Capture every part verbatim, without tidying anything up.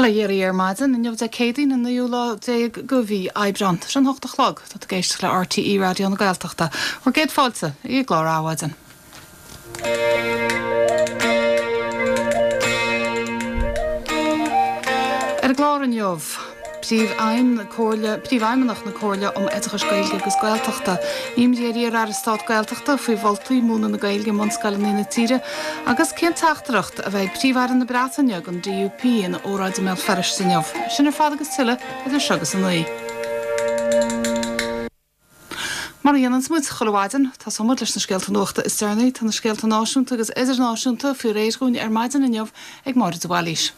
Bail ó Dhia oraibh ar maidin inniu Dé Céadaoin an naoú lá déag de mhí Aibreán. Tá sé an hocht a chlog tá tú ag éisteacht le RTÉ Raidió na Gaeltachta. Bhur gcéad fáilte i gclár Adhmhaidin. Ar an gclár inniu, Príomhfheidhmeannach na Comhairle um Oideachas Gaeilge agus Gaeltachta, imní ar iar-aire stáit Gaeltachta faoi mholtaí múineadh na Gaeilge i mbunscoileanna na tíre agus cén teachtaireacht a bheidh ag Príomh-Aire na Breataine don DUP ina óráid i mBéal Feirste inniu. Sin ar fad agus tuilleadh idir seo agus a naoi. Mar a dhéananns muid chuile mhaidin, tosóidh muid leis na scéalta nuachta is deireanaí. Tá na scéalta náisiúnta agus idirnáisiúnta faoi réir dhúinn ar maidin inniu ag Máire de Bhailís.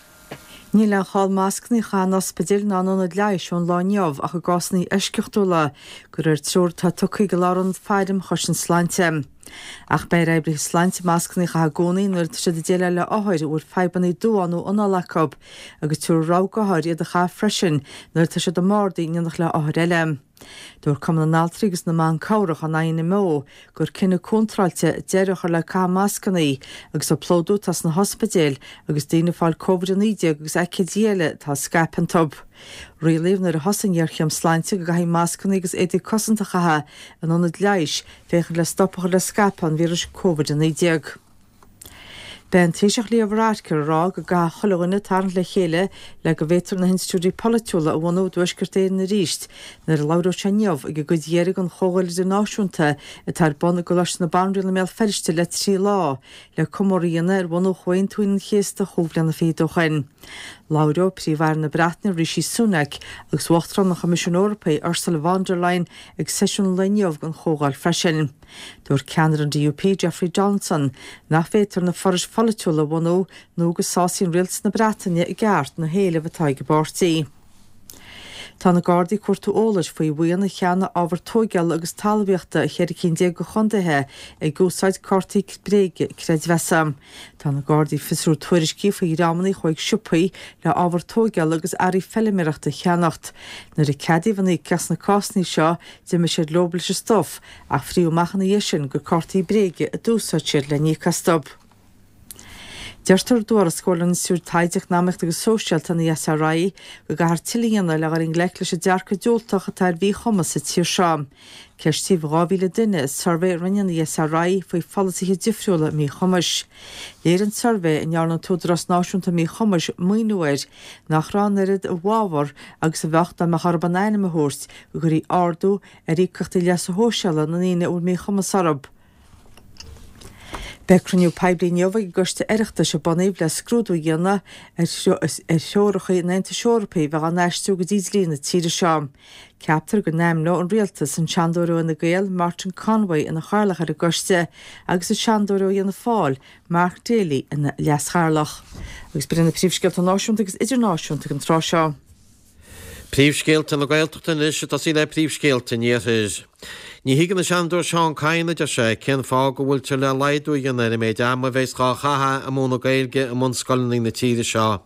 Níl aon chall mascanna a chaitheamh in ospidéil ná in ionaid leighis ón lá inniu ach i gcásanna eisceachtúla, de réir treoir atá tugtha ag Lárionad Faire um Chosaint Sláinte. Ach beidh ar oibrithe sláinte mascanna a chaitheamh i gcónaí nuair atá siad ag déileáil le othair a bhfuil fadhbanna duáin nó anála acu, agus tabharfar rabhadh d'othair iad a chaitheamh freisin nuair atá siad i mbardaí in éineacht le hothair eile. Dúirt Cumann na nAltraí agus na mBan Cabhrach an INMO gur cinneadh contráilte deireadh a chur le caitheamh mascanna agus an plódú atá sna hospidéil agus daoine ag fáil Covid a naoi déag agus aicídí eile atá ag scaipeadh iontu. Rialaíodh nuair a thosaigh an ghéarchéim sláinte go gcaithfí mascanna agus éadaí cosanta a chaitheamh in ionaid leighis féachaint le stop a chur le scaipeadh an víris Covid a naoi déag. Beidh an Taoiseach Leo Varadkar ag rá go gcaithfidh chuile dhuine tarraingt le chéile le go bhféadfar na hinstitiúidí polaitiúla a bhunú i dTuaisceart Éireann arís nuair a labhróidh sé inniu ag an gcuid dheiridh den Chomhdháil Idirnáisiúnta atá ar bun i gColáiste na Banríona i mBéal Feirste le trí lá le comóradh a dhéanamh ar bhunú Chomhaontú Aoine an Chéasta chúig bliana fichead ó shoin. Labhróidh Príomh-Aire na Breataine Rishi Sunak agus Uachtarán an Choimisiúin Eorpaigh Ursula von der Leyen ag seisiún an lae inniu den chomhdháil freisin. Dúirt ceannaire an DUP Jeffrey Donaldson nach bhféadfar na forais pholaitiúla a bhunú nó go sásaíonn rialtas na Breataine i gceart na héilimh atá ag an bpáirtí. Tá na Gardaí ag cuartú eolais faoi bhuíon a cheannaigh ábhar tóigeála agus talmhaíochta i cheithre cinn déag de chontaetha ag úsáid cártaí bréige creidmheasa. Tá na Gardaí ag fiosrú tuairiscí faoi dhreamanna a chuaigh chuig siopaí le ábhar tóigeála agus earraí feilméarachta a cheannacht. Nuair a ceadaíodh an íocaíocht sna cásanna seo, d'imigh siad leo leis an stuif ach frítheadh amach ina dhiaidh sin gur cártaí bréige a d'úsáid siad le n-íoc astu. Deirtear i dtuarascáil ón Institiúid Taighde Eacnamaíochta agus Sóisialta, an ESRI, go gcaithfear tuilleadh a dhéanamh le dhul i ngleic leis an dearcadh diúltach atá ar mhíchumas sa tír seo. Ceistíodh dhá mhíle duine i suirbhé a rinne an ESRI faoi pholasaithe difriúla míchumais. Léirigh an suirbhé, a ndearna an tÚdarás Náisiúnta Míchumais maoiniú air, nach raibh an oiread i bhfabhar agus a bheadh dá mbeadh orthu a n-ainm a thabhairt go gcuirfí ardú ar íocaíochtaí leasa shóisialaigh na ndaoine a bhfuil míchumas orthu. Beidh cruinniú poiblí inniu ag an gCoiste Oireachtais a bunaíodh le scrúdú a dhéanamh ar threoracha an Aontais Eorpaigh a bheadh á n-aistriú go dtí dlí na tíre seo. Ceaptar go n-ainmneoidh an Rialtas an Seanadóir ó Fhine Gael, Martin Conway ina chathaoirleach ar an gcoiste agus an Seanadóir ó Fhianna Fáil, Mark Daly ina leaschathaoirleach. Agus b'in na príomhscéalta náisiúnta agus idirnáisiúnta ag an tráth seo. Príomhscéalta na Gaeltachta anois ag tosaí le príomhscéalta an Iarthair. Ní thuigeann an Seanadóir Seán Kyne, a deir sé, cén fáth go bhfuiltear le laghdú a dhéanamh ar an méid ama a bheas dhá chaitheamh ag múineadh Gaeilge i mbunscoileanna na tíre seo.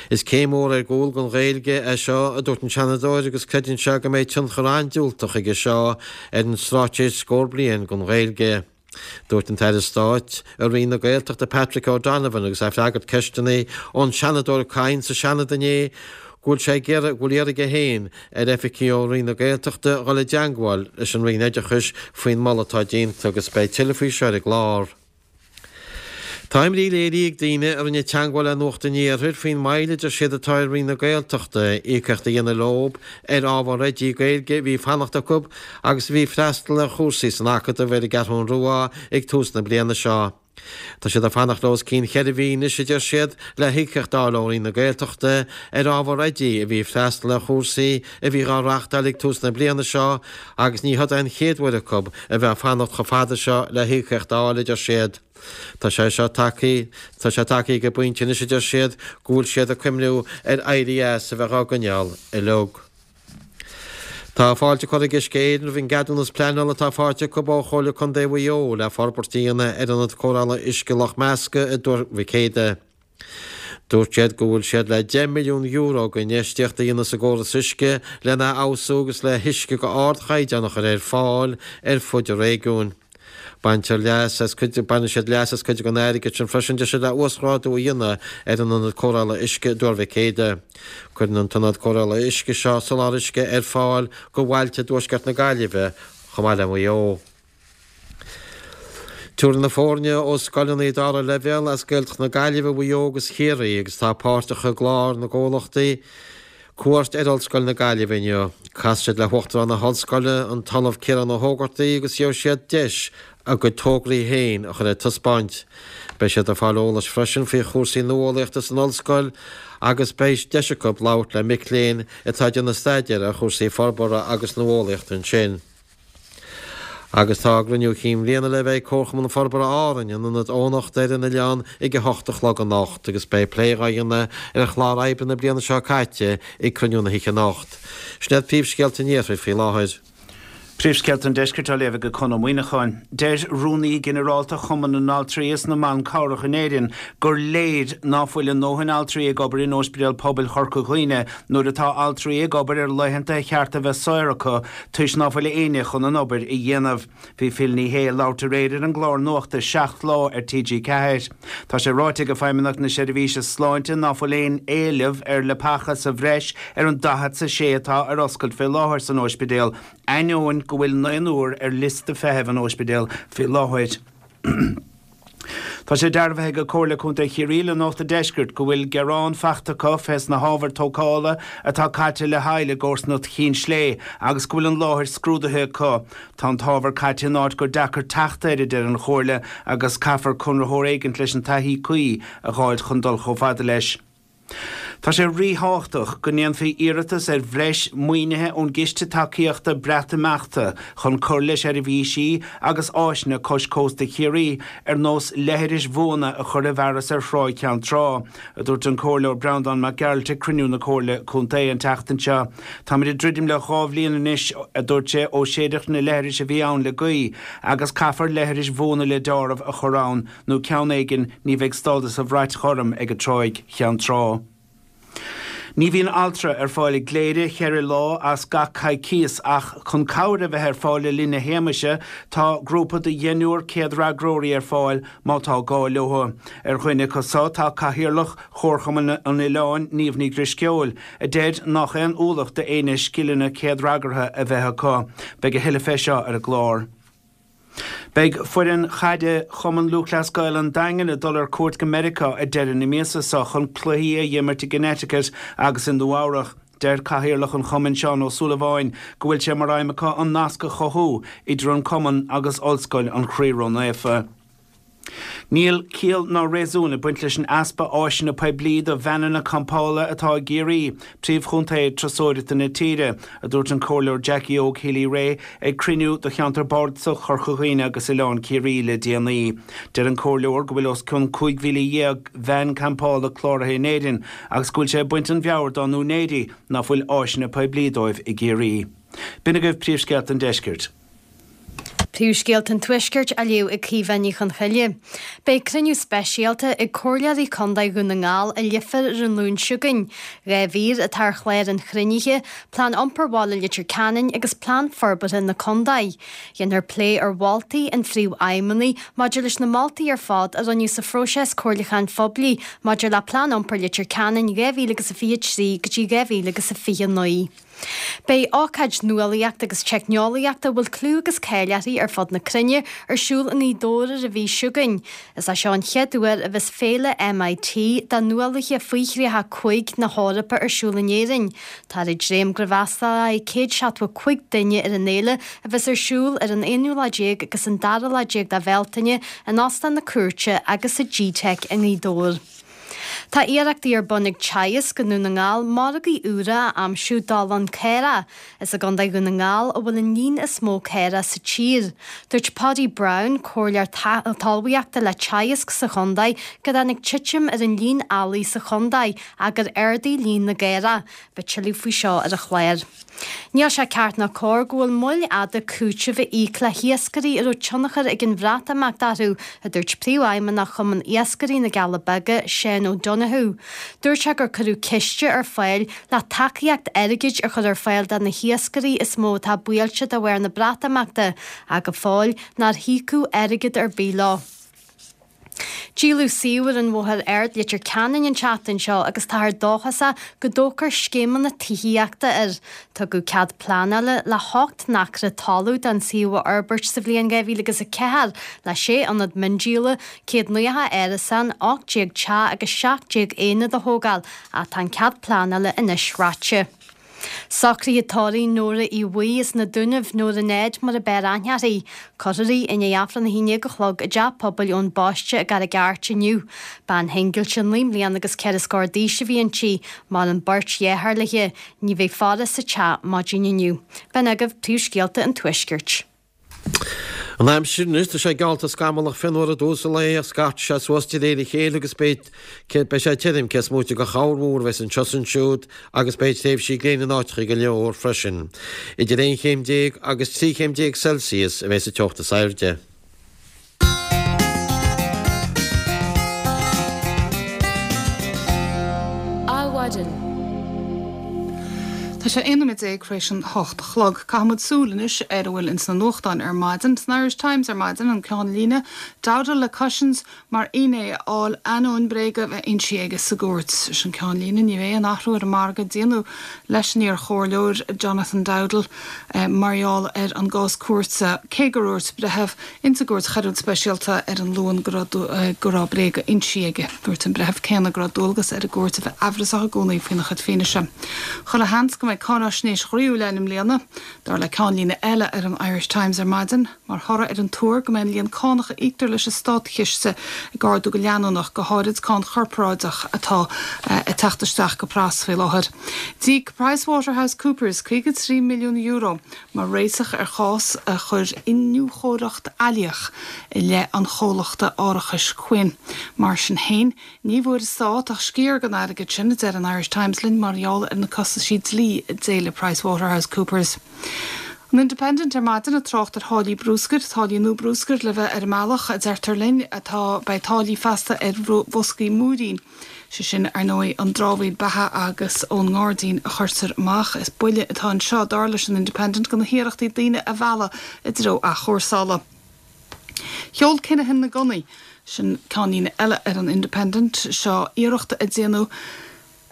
Is céim mhór ar gcúl don Ghaeilge é seo, a dúirt an Seanadóir, agus creideann sé go mbeidh tionchar an-diúltach aige seo ar an Straitéis Scór Bliain don Ghaeilge. Dúirt an tAire Stáit i Roinn na Gaeltachta Patrick O'Donovan agus é ag freagairt ceisteanna ón Seanadóir Kyne sa Seanad inné go bhfuil sé ag iarraidh, go bhfuil iarrtha aige féin ar oifigigh ó Roinn na Gaeltachta dhul i dteangmháil leis an Roinn Oideachais faoin moladh atá déanta agus beidh tuilleadh faoi seo ar an gclár. Tá imní léirithe ag daoine a rinne teagmháil le Nuacht an Iarthair faoin moill a deir siad atá ar Roinn na Gaeltachta íocaíocht a dhéanamh leo ar ábhar oidí Gaeilge a bhí ag fanacht acu agus a bhí ag freastal ar chúrsaí san Acadamh ar an gCeathrú Rua ag tús na bliana seo. Tá siad ag fanacht le os cionn cheithre mhí anois, a deir siad, le híocaíocht a fháil ó Roinn na Gaeltachta ar ábhar oidí a bhí ag freastal ar chúrsaí a bhí dhá reáchtáil ag tús na bliana seo agus ní hiod é an chéad uair acu a bheith ag fanacht chomh fada seo le híocaíocht a fháil, a deir siad. Tá sé seo tagtha, tá sé tagtha ag an bpointe anois, a deir siad, go bhfuil siad ag cuimhniú ar éirí as a bheith á gcoinneáil uilig. Tá fáilte curtha ag Uisce Éireann roimh an gceadúnas pleanála atá faighte acu ó Chomhairle Contae Mhaigh Eo le forbairt a dhéanamh ar ionad cóireála uisce Loch Measca i dTuar Mhic Éadaigh. Dúirt siad go bhfuil siad le deich milliún euro d'infheistíocht a dhéanamh sa gcóras uisce lena fheabhsú agus le huisce d'ardchaighdeán a chur ar fáil ar fud an réigiúin. Baintear leas as cuid baineann siad leas as cuid den airgead sin freisin deir siad le uasghrádú a dhéanamh ar an ionad cóireála uisce i dTuar Mhic Éadaigh. Cuireann an t-ionad cóireála uisce seo soláthar uisce ar fáil go bhailte i dtuaisceart na Gaillimhe chomh maith le Maigh Eo. Tabharfaidh na foirne ó scoileanna dara leibhéal as Gaeltacht na Gaillimhe, Mhaigh Eo agus Chiarraí agus atá páirteach i gclár na gcomhlachtaí cuairt ar Ollscoil na Gaillimhe inniu. Casfaidh siad le hUachtarán na hOllscoile, an tOllamh Ciarán Ó hÓgartaigh agus gheobhaidh siad deis a gcuid tograí féin a chur ar taispeáint. Beidh siad ag fáil eolais freisin faoi chúrsaí nuálaíochta san ollscoil agus beidh deis acu labhairt le mic léinn atá ag déanamh staidéir ar chúrsaí forbartha agus nuálaíochta ansin. Agus tá cruinniú cinn bhliana le bheith ag Comharchumann Forbartha Árainn in Ionad Eoghanachta ar an oileán ag a hocht a chlog anocht agus beidh plé dhá dhéanamh ar chlár oibre na bliana seo caite ag cruinniú na hoíche anocht. Sin iad príomhscéalta an iarthair faoi láthair. Príomhscéalta an Deiscirt á léamh ag Conn Ó Muíneacháin. Deir Rúnaí Ginearálta Chumann na nAltraí is na mBan Cabhrach in Éirinn gur léir ná fuil a ndóthain altraí ag obair in Ospidéal Pobail Chorca Dhuibhne nuair atá altraí ag obair ar laethanta ar cheart a bheith saor acu toisc ná fuil éinne chun an obair a dhéanamh. Bhí Phil Ní Sheaghdha ag labhairt aréir ar an gclár nuachta Seacht Lá ar T G ceathair. Tá sé ráite ag Feidhmeannacht na Seirbhíse Sláinte ná fuil aon éileamh ar leapacha sa bhreis ar an daichead 's a sé atá ar oscailt fé láthair san ospidéal, ainneoin go bhfuil naonúr ar liosta feithimh an ospidéil fé láthair. Tá sé dearbhaithe ag Comhairle Contae Chiarraí le Nuacht an Deiscirt go bhfuil gearán faighte acu fés na hábhair tógála atá caite le haill i gcomharsanacht Chinn Slé agus go bhfuil an láthair scrúdaithe acu. Tá an t-ábhar caite in áit gur deacair teacht air, a deir an Chomhairle, agus caithfear conraitheoir éigint leis an taithí cuí a dh'fháilt chun dul chomh fada leis. Tá sé ríthábhachtach go ndéanfaí iarratas ar bhreis maoinithe ón gCiste Tacaíochta Breatimeachta chun cur le seirbhísí agus áiseanna cois cósta Chiarraí ar nós leithris bhuana a chur i bhfearas ar Thráigh Cheann Trá, a dúirt an Comhairleoir Breandán Mac Gearailt ag cruinniú na Comhairle Contae an tseachtain seo. Táimid ag druidim le dhá bhliain anois, a dúirt sé, ó séideadh na leithris a bhí ann le gaoth agus caithfear leithris bhuana le deáramh a chur ann nó ceann éigin ní bheidh stádas an bhrait ghorm ag an Tráigh Cheann Trá. Ní bhíonn altra ar fáil i gCléire cheithre lá as gach coicíos ach chun cabhair a bheith ar fáil le linn na héagmaise tá grúpa de dheichniúr céadfhreagróirí ar fáil má tá gá leo. Ar dhuine acu so tá Cathaoirleach Chomharchumann an Oileáin, Niamh Ní Dhrisceoil, a deir nach aon ualach d'éinne scileanna céadfhreagartha a bheith acu. Beidh a thuilleadh fé seo ar an gclár. Beidh foireann chaide Chumann Lúthchleas Gael an Daingin ag dul ar cuairt go Meiriceá ag deireadh na míosa seo chun cluichí a dh'imirt i gConnecticut agus i Nua-Eabhrac. Deir Cathaoirleach an Chumainn Seán Ó Súilleabháin go bhfuil sé mar aidhm acu an nasc a chothú idir an cumann agus Ollscoil an Chroí Ró-Naofa. Níl ciall ná réasún ag baint leis an easpa áiseanna poiblí do veaineanna campála atá i gCiarraí, príomhchontae turasóireachta na tíre, a dúirt an Comhairleoir Jackie Óg Healy-Rae ag cruinniú do cheantar bardasach Chorca Dhuibhne agus Oileán Ciarraí le déanaí. Deir an Comhairleoir go bhfuil os cionn cúig mhíle dhéag veain campála cláraithe in Éirinn agus go bhfuil sé ag baint an mheabhair dá n-úinéirí ná fuil áiseanna poiblí dóibh i gCiarraí. B'in agaibh príomhscéalta an deiscirt. Príomhscéalta an Tuaiscirt á léamh ag Caoimhe Ní Chonchoille. Beidh cruinniú speisialta ag Comhairleoirí Contae Dhún na nGall i Leifear ar an Luan seo chugainn. Dhá mhír atá ar chlár an chruinnithe, Plean Iompair Bhaile Leitir Ceanainn agus Plean Forbartha na Contae. Dhéanfar plé ar mholtaí an Phríomhfheidhmeannaigh maidir leis na moltaí ar fad a rinneadh sa phróiseas comhairliúcháin phoiblí maidir le Plean Iompair Leitir Ceanainn dhá mhíle agus a fiche trí go dtí dhá mhíle agus a fiche naoi. Beidh ócáid nuálaíochta agus teicneolaíochta a bhfuil clú agus cáil uirthi ar fud na cruinne ar siúl i nGaoth Dobhair ar an mhí seo chugainn. Is é seo an chéad uair a bheas féile M I T do nuálaithe faoi thríocha cúig na hEorpa ar siúl in Éirinn. Táthar ag dréim go bhfreastalóidh céad seachtó cúig duine ar an fhéile a bheas ar siúl ar an aonú lá déag agus an dara lá déag de Bhealtaine in Óstán na Cúirte agus sa G-Tech i nGaoth Dobhair. Tá iarrachtaí ar bun ag Teagasc i nDún na nGall margaí úra a aimsiú d'olann caorach. Is i gContae Dhún na nGall a bhfuil an líon is mó caorach sa tír. Dúirt Paddy Brown, comhairleoir talmhaíochta le Teagasc sa chontae, go dtáinig titim ar an líon eallaigh sa chontae ach gur ardaigh líon na gcaorach. Beidh tuilleadh faoi seo ar an chlár. Níl sé ceart ná cóir go bhfuil moill fhada cúiteamh a íoc le hiascairí a raibh tionchar ag an Bhreatimeacht orthu, a dúirt príomhfheidhmeannach Chumann Iascairí na gCealla Beaga, Seán O'Donoghue. Donohoe. Dúirt sé gur cuireadh ciste ar fáil le tacaíocht airgid a chur ar fáil do na hiascairí is mó atá buailte de bharr na Breatimeachta ach go fóill nár híocadh airgead ar bith leo. Díoladh suíomh ar an Bhóthar Ard Leitir Ceanainn an tseachtain seo agus táthar dóchasach go dtógfar scéimeanna tithíochta air. Tugadh cead pleanála le hocht n-acra talaimh don suíomh a fhorbairt sa bhliain dhá mhíle agus a ceathair le sé ionad miondíola, céad nócha árasán, ocht déag teach agus seacht déag aonad a thógáil ach tá an cead pleanála anois reaite. Socruithe tórraimh Nóra Uí Bhaoill as na Dúnaibh, Nóra Ned mar ab fhearr aithne uirthi. Cuirfear í i ndiaidh Aifreann a haon déag a chlog i dTeach Pobail Eoin Baiste i gCarraig Airt inniu. Bean shingilte naoi mbliana agus ceithre scór d'aois a bhí inti. Maireann beirt dheartháir léi. Ní bheidh faire sa teach maidin inniu. B'in agaibh príomhscéalta an Tuaiscirt. An aimsir anois, tá sé geallta scamallach fén uair i dtús an lae ach scartfaidh sé suas de réir a chéile agus beidh beidh sé tirim cés móite de chorrmhúr a bheas anseo is ansiúd agus beidh tréimhsí gréine in áiteacha go leor freisin. Idir aon chéim déag agus trí chéim déag Celsius a bheas an teocht is airde. Adhmhaidin. Tá sé aon nóiméad déag tar éis an hocht a chlog. Caithfimid súil anois ar a bhfuil ins na nuachtáin ar maidin. San Irish Times ar maidin, an ceannlíne, Dowdall le cautions mar fhinné a fháil ainneoin bréaga bheith insithe aige sa gcúirt. Sin ceannlíne. Ní bheidh aon athrú ar an margadh a déanadh leis an iar-chomhairleoir Jonathan Dowdall mar gheall ar an gcás cúirte, cé gur dhúirt breitheamh ins an gCúirt Choiriúil Speisialta ar an Luan go raibh go raibh bréaga insithe aige. Dúirt an breitheamh céanna go raibh dualgas ar an gcúirt a bheith amhrasach i gcónaí faoina chuid fianaise. Chuile sheans go mbeidh cáinaisnéis ghroíúil ann i mbliana, dar le ceannlíne eile ar an Irish Times ar maidin, mar thoradh ar an tuar go mbeidh an líon cánach a íoctar leis an státchiste ag ardú go leanúnach, go háirid cáin chorparáideach atá ag teacht isteach go pras faoi láthair. D'íoc PricewaterhouseCoopers caoga trí milliún euro mar réiteach ar chás a chuir iniúchóireacht fhaillíoch i leith an chomhlachta árachais Quinn. Mar sin féin, ní bhfuair an stát ach sciar den airgead sin, a deir an Irish Times linn, mar gheall ar na costaisí dlí a d'éiligh PricewaterhouseCoopers. An Independent ar maidin ag trácht ar tháillí brúscair, táillí nua brúscair le bheith ar an mbealach, a deirtear linn, atá, beidh táillí feasta ar bhoscaí múirín, sé sin, ar ndóigh, an dramhaíl beatha agus ón ngairdín a chuirtear amach. Is buille atá anseo, dar leis an Independent, do na hiarrachtaí daoine a mhealladh i dtreo athchúrsála. Sheol Kinahan na gunnaí, sin ceannlíne eile ar an Independent, seo iarracht a déanadh,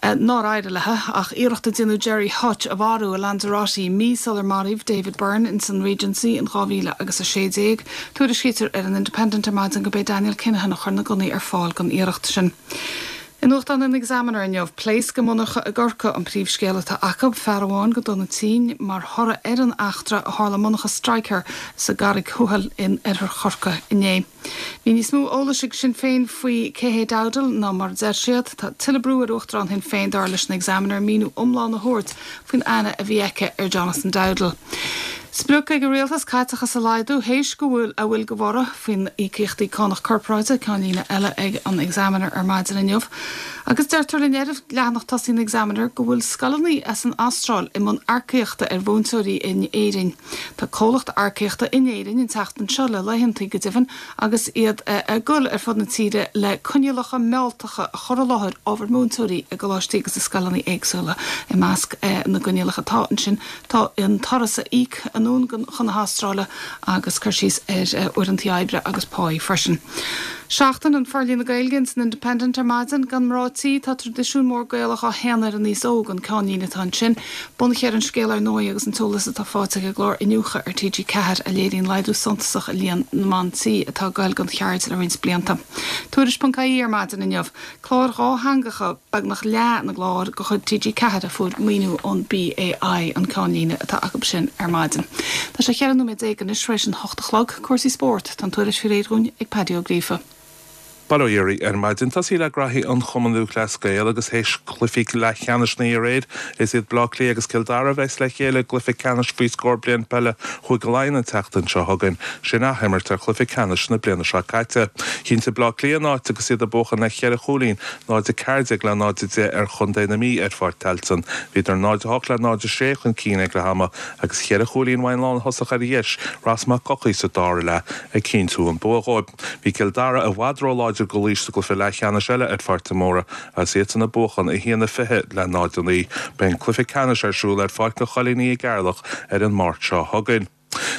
nár éirigh léi ach iarracht a déanadh Gerry Hutch a mharú i Lanzarote mí sular maraíodh David Byrne ins an Regency in dhá mhíle agus a sé déag. Tuairiscítear ar an Independent ar maidin go b'é Daniel Kinahan a chuir na gunnaí ar fáil don iarracht sin. I nuachtán an Examiner inniu, pléasc i monarcha i gCorcaigh an príomhscéal atá acu, fear amháin go dona tinn mar thoradh ar an eachtra a tharla i monarcha Stryker sa gCarraig Thuathail in oirthear Chorcaí inné. Bhí níos mó eolais ag Sinn Féin faoi cé hé Dowdall ná mar a deir siad. Tá tuilleadh brú ar Uachtarán Shinn Féin, dar leis an Examiner, míniú iomlán a thabhairt faoin aithne a bhí aici ar Jonathan Dowdall. Sprioc ag an rialtas caiteachas a laghdú théis go bhfuil a bhfuil de bhorradh faoin íocaíochtaí cánach corparáide, ceannlíne eile ag an Examiner ar maidin inniu. Agus deirtear linn ar leathanach tosaigh an Examiner go bhfuil scoileanna as an Astráil i mbun earcaíochta ar mhúinteoirí in Éirinn. Tá comhlacht earcaíochta in Éirinn an tseachtain seo, le laethantaí go deimhin, agus iad ag dul ar fud na tíre le coinníollacha mealltacha a chur i láthair ábhar múinteoirí i gcoláistí agus i scoileanna éagsúla. I measc na gcoinníollacha atá ansin tá an turas a íoc anonn chun na hAstráile agus cur síos ar uaireanta oibre agus páí freisin. Seachtain an Forlíonadh Gaeilge ins an Independent ar maidin. Gan mná tí, tá traidisiún mór Gaelach á shéanadh ar an aos óg, an ceannlíne atá ansin. Bunaithe ar an scéal ar ndóigh agus an t-eolas atá faighte ag an gclár Iniúchadh ar T G ceathair a léiríonn laghdú suntasach i líon na mban tí atá ag goil don cheird le roinnt blianta. Tuairisc.ie ar maidin inniu. Cláir dhátheangacha, beagnach leath na gclár de chuid T G ceathair a fuair maoiniú ón B A I, an ceannlíne atá acu sin ar maidin. Tá sé cheithre nóiméad déag anois tar éis an hocht a chlog. Cúrsaí spóirt, tá an tuairisc faoi réir dhúinn ag Paddy Ó Gríofa. Bail ó Dhia oraibh ar maidin. Tosaí le graithí an Chumann Lúthchleas Gael agus théis cluichí leathcheannais na aréir, is iad Bleá Cliath agus Cill Dara a bheas le chéile i gcluiche ceannais faoi scór bliain peile Chúige Laighean an tseachtain seo chugainn. Sin athimirt ar chluiche ceannais na bliana seo caite. Chinntigh Bleá Cliath a n-áit agus iad ag buachan le ceithre chúilín, náid a ceathair déag le náid a deich ar Chontae na Mí ar Pháirc Tailteann. Bhíodar náid a hocht le náid a sé chun cinn ag leath ama agus cheithre chúilín uaidh an lánthosach ar dheis, Ross Mac Eochaidh sa dara leath ag cinntiú an bua dhóibh. Bhí Cill Dara i bhfad róláidir láidir go Laois sa gcluiche leathcheannais eile ar Pháirc de Mórdha agus iadsan ag buachan a haon a fiche le náid a naoi. Beidh an cluiche ceannais ar siúl ar Pháirc an Choilíní i gCeatharlach ar an Máirt seo chugainn.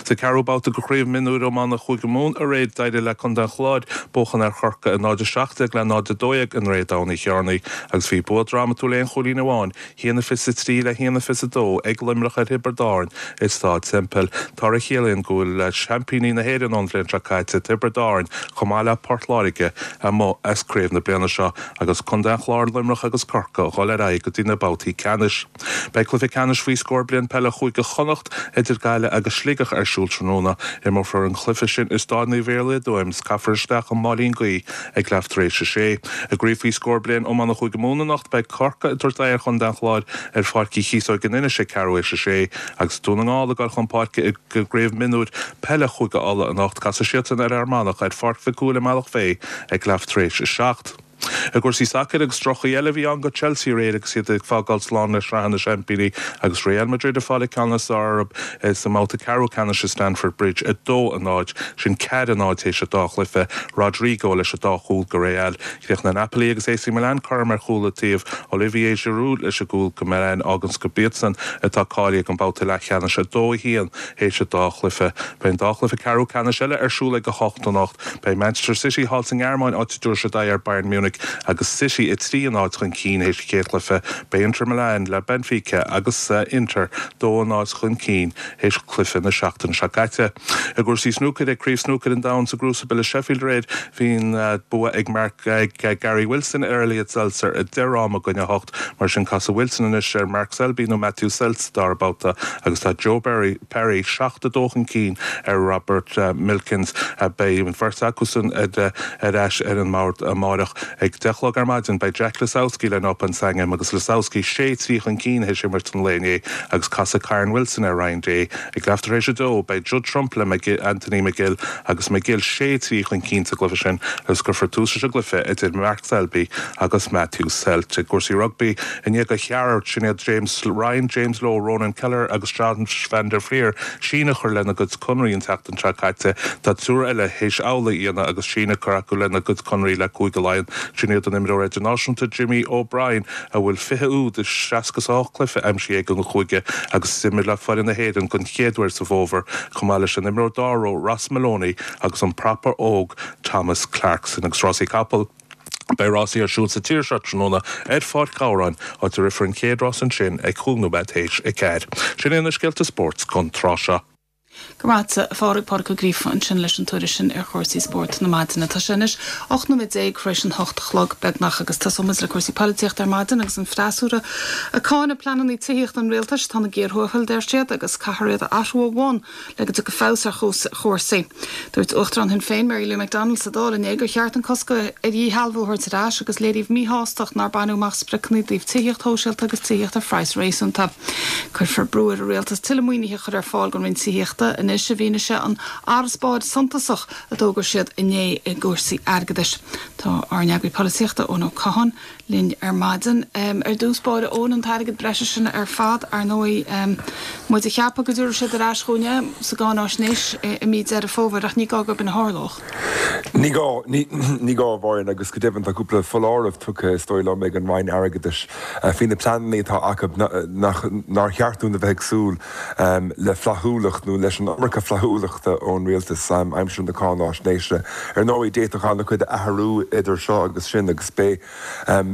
Sa ceathrú babhta de Chraobh Mionúir Iomána Chúige Mumhan aréir d'éirigh le Contae an Chláir buachan ar Chorcaigh a náid a seacht déag le náid a dó dhéag i nDroichead Abhann Uí Chearnaigh agus bhí bua drámatúil aon chúilín amháin, haon a fiche a trí le haon a fiche a dó ag Luimneach ar Thiobraid Árann i Staid Semple. Toradh a chiallaíonn go bhfuil seaimpíní na hÉireann ón bhliain seo caite, Tiobraid Árann, chomh maith le Port Láirge, amuigh as craobh na bliana seo agus Contae an Chláir, Luimneach agus Corcaigh a dhul ar aghaidh go dtí na babhtaí ceannais. Beidh cluiche ceannais faoi scór bliain peile Chúige Chonnacht idir Gaillimh agus Sligeach ar siúl tráthnóna. Imreofar an cluiche sin i Staid Naomh Iarlaith i dTuaim is caithfear isteach an máilín guí ag leath tar éis a sé. I gcraobh faoi scór bliain iomána Chúige Mumhan anocht beidh Corcaigh ag tabhairt aghaidh ar Chontae an Chláir ar Pháirc Uí Chíosóg in Inis ag ceathrú théis a sé agus Dún na nGall ag dul chun páirce i gcraobh mionúir peile Chúige Uladh anocht. Casfaidh siadsan ar Fhear Manach ar Pháirc Mhic Cumhaill i mBealach Féich ag leath tar éis a seacht. I gcúrsaí sacair agus droch-chaoi eile a bhí ann go Chelsea aréir agus iad ag fágáil slán le Sraith na Seaimpíní agus Real Madrid ag fáil an ceann is fearr orthu sa mbabhta ceathrú ceannais i Stamford Bridge a dó a náid, sin ceathair a náid théis an dá chluiche, Rodrigo leis an dá chúl go Real. Chríochnaigh Napoli agus AC Milan cothrom ar chúl an taobh, Olivier Giroud leis an gcúl go Milan fháganns gurb iadsan atá cáilithe don bhabhta leathcheannais a dó a haon théis an dá chluiche. Beidh an dá chluiche ceathrú ceannais eile ar siúl ag a hocht anocht. Beidh Manchester City thall sa nGearmáin áit a dtabharfaidh siad aghaidh ar Bayern Munich agus City a trí a náid chun cinn théis an chéad chluiche. Beidh Inter Milan le Benfica agus Inter dó a náid chun cinn théis cluiche na seachtaine seo caite. I gcúrsaí snúcair ag Craobh Snúcair an Domhain sa gCrucible i Sheffield aréir bhí an bua ag Mark ag Gary Wilson ar Elliot Seltzer a deich fhráma i gcoinne a hocht. Mar sin casfaidh Wilson anois ar Mark Selby nó Matthew Selt sa dara babhta agus tá Joe Berry, Perry seacht a dó chun cinn ar Robert Milkins. Beidh an bheirt acusan ar ais ar an mbord amárach. Ag deich a chlog ar maidin beidh Jack Lisowski le Noppon Saengkham agus Lisowski sé trí chun cinn théis imirt an lae inné agus casfaidh Kyren Wilson ar Ryan Day. Ag leath tar éis a dó beidh Judd Trump le Anthony McGill agus McGill sé trí chun cinn sa gcluiche sin agus cuirfear tús leis an gcluiche idir Mark Selby agus Matthew Selt. I gcúrsaí rugbaí i ndiaidh do cheathrar sin iad James Ryan, James Lowe, Ronan Kelleher agus John van der Flier síneadh a chur lena gcuid conraí an tseachtain seo caite. Tá triúr eile théis amhlaidh a dhéanamh agus síneadh curtha acu lena gcuid conraí le Cúige Laighean. Sin iad an imreoir idirnáisiúnta Jimmy O'Brien a bhfuil fiche úd i seasca is a hocht cluiche aimsithe aige don chúige agus d'imir le foireann na hÉireann den chéad uair sa bhfómhar, chomh maith leis an imreoir dara ró Ross Molony agus an prapa óg Thomas Clarkson agus rásaí capall. Beidh rásaí ar siúl sa tír seo tráthnóna ar Pháirc Ghabhráin, áit a rithfear an chéad rás ansin ag cúig nóiméad théis a ceathair. Sin é na scéalta spóirt don tráth seo. Go raibh maith agat, a Phádraig, Pádraig Ó Gríofa ansin leis an tuairisc sin ar chúrsaí spóirt na maidine. Tá sé anois ocht nóiméad déag tar éis an hocht a chlog beagnach agus tosóimid le cúrsaí polaitíochta ar maidin agus an freasúra ag cáineadh pleananna tithíochta an rialtais tá siad géarthuathail deir siad agus caithfear iad a athrú ó bhun le go dtiocfaidh feabhas ar chúrsaí. Dúirt Uachtarán Shinn Féin Mary Lou McDonald sa Dáil inné gur cheart an cosc ar dhíshealbhú a thabhairt ar ais agus léiríodh míshástacht nár baineadh amach spriocanna i dtaobh tithíocht shóisialta agus tithíocht ar phraghas réasúnta. Cuirfear brú ar an rialtas tuilleadh maoinithe a chur ar fáil don Roinn Tithíochta anois i bhfianaise an fharasbairr suntasach a d'fhógair siad inné i gcúrsaí airgeadais. Tá ár n-eagraí polaitíochta Eoin Ó Catháin linn ar maidin. Um, ar dtús báire Eoin an t-airgead breise sin ar fad ar ndóigh um, muid ag ceapadh go dtabharfaidh siad ar ais chugainn é sa gcáináisnéis i mí Deireadh Fómhair ach ní gá gurb in a tharlódh. Ní gá ní gá bháin agus go deimhin tá cúpla foláireamh tugtha is dóigh liom ag an Roinn Airgeadais faoi na pleananna atá acu nach nár cheart dúinn a bheith ag súil le flaithiúlacht nó leis an iomarca flaithiúlachta ón rialtas aimsir na cáináisnéise. Ar ndóigh d'fhéadfadh an-chuid athrú idir seo agus sin agus beidh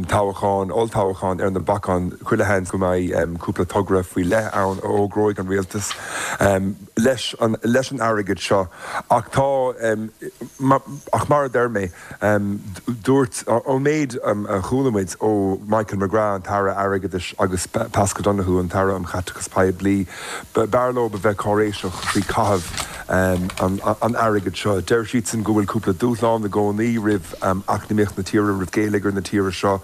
toghchán olltoghchán ar na bacáin chuile sheans go mbeidh cúpla togra faoi leith ann a fhógróidh an rialtas leis an leis an airgead seo ach tá ach mar a deir mé dúirt ón méid a chuala muid ó Michael McGrath an tAire Airgeadais agus Paschal Donohoe an tAire um Chaiteachas Poiblí b'fhearr leo a bheith cáiréiseach faoi chaitheamh an airgead seo. Deir siadsan go bhfuil cúpla dúshlán i gcónaí roimh eacnamaíocht na tíre roimh gheilleagar na tíre seo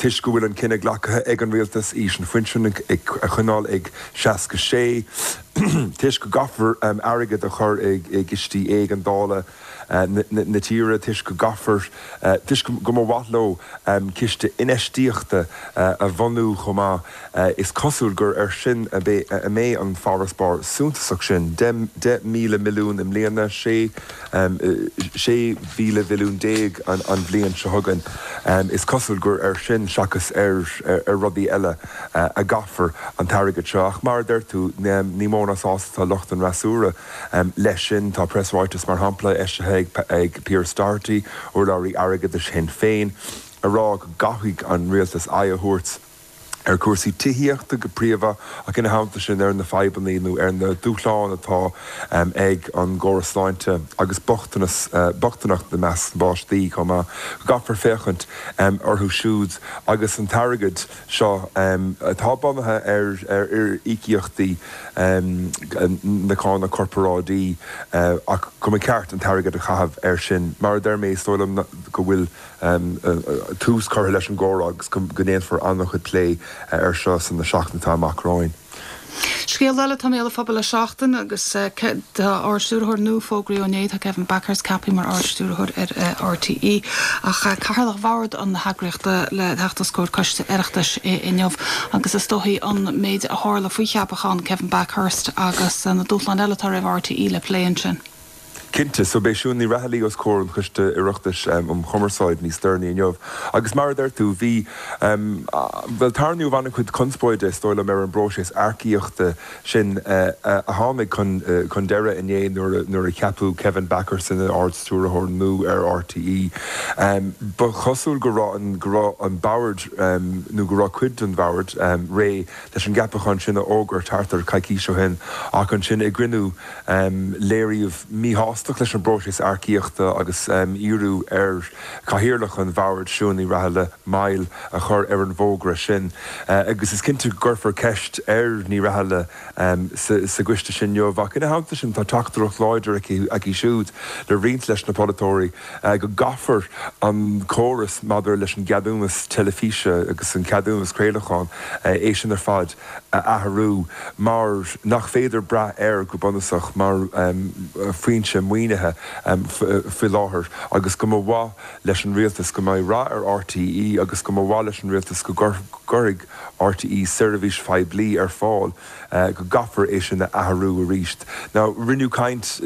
toisc go bhfuil an cinneadh glactha ag an rialtas aois an phinsin a choinneáil ag seasca sé. Toisc go gcaithfear airgead a chur i gcistí éigeandála na tíre, toisc go gcaithfear, toisc go mba mhaith leo ciste infheistíochta a bhunú chomh maith, is cosúil gur air sin a mbeidh an farasbarr suntasach sin, deich míle milliún i mbliana, sé mhíle mhilliún déag an bhliain seo chugainn. Is cosúil gur air sin seachas ar rudaí eile a gcaithfear an t-airgead seo. Ach mar a deir tú, ní mó ná sásta atá lucht an fhreasúra leis sin. Tá preasráiteas, mar shampla, eisithe ag Pearse Doherty, urlabhraí airgeadais Shinn Féin, ag rá go gcaithfidh an rialtas aghaidh a thabhairt ar chúrsaí tithíochta go príomha ach ina theannta sin ar na fadhbanna nó ar na dúshláin atá ag an gcóras sláinte agus bochtanas, bochtaineacht i measc na bpáistí chomh maith, go gcaithfear féachaint orthu siúd agus an t-airgead seo atá bunaithe ar íocaíochtaí na cánach corparáidí ach go mba cheart an t-airgead a chaitheamh air sin. Mar a deir mé, is dóigh liom go bhfuil tús curtha leis an gcomhrá agus go ndéanfar an-chuid plé air seo sna seachtainí atá amach romhainn. Scéal eile atá i mbéal an phobail le seachtain agus tá Ard-Stiúrthóir nua fógraithe inné, tá Kevin Bakhurst ceaptha mar Ard-Stiúrthóir ar RTÉ ach cathaoirleach bhord na heagraíochta le theacht os comhair coiste Oireachtais inniu agus is dóichí an méid a tharla faoi cheapachán Kevin Bakhurst agus na dúshláin eile atá roimh RTÉ le plé ansin. Cinnte, so beidh Siún Ní Raghallaigh os comhair an Choiste Oireachtais um Chumarsáid níos deireanaí inniu. Agus mar a deir tú, bhí, bhuel, tarraingíodh an-chuid conspóide, is dóigh liom, ar an bpróiseas earcaíochta sin a tháinig chun chun deireadh inné nuair nuair a ceapadh Kevin Bakhurst ina Ard-Stiúrthóir nua ar RTÉ. Ba chosúil go raibh an go raibh an bord nó go raibh cuid den bhord réidh leis an gceapachán sin a fhógairt thart ar coicís ó shin ach ansin i gcruinniú léiríodh míshástacht leis an bpróiseas earcaíochta agus iarradh ar chathaoirleach an bhoird, Siún Ní Raghallaigh, moill a chur ar an bhfógra sin. Agus is cinnte go gcuirfear ceist ar Ní Raghallaigh sa gcoiste sin inniu. Ach ina theannta sin tá teachtaireacht láidir aici siúd le roinnt leis na polaiteoirí go gcaithfear an córas maidir leis an gceadúnas teilifíse agus an ceadúnas craolacháin, é sin ar fad a athrú mar nach féidir brath air go bunúsach mar foinse maoinithe faoi láthair agus go mba mhaith leis an rialtas go mbeidh rath ar RTÉ agus go mba mhaith leis an rialtas go gcuirfidh RTÉ seirbhís phoiblí ar fáil go gcaithfear é sin a athrú arís. Now rinneadh caint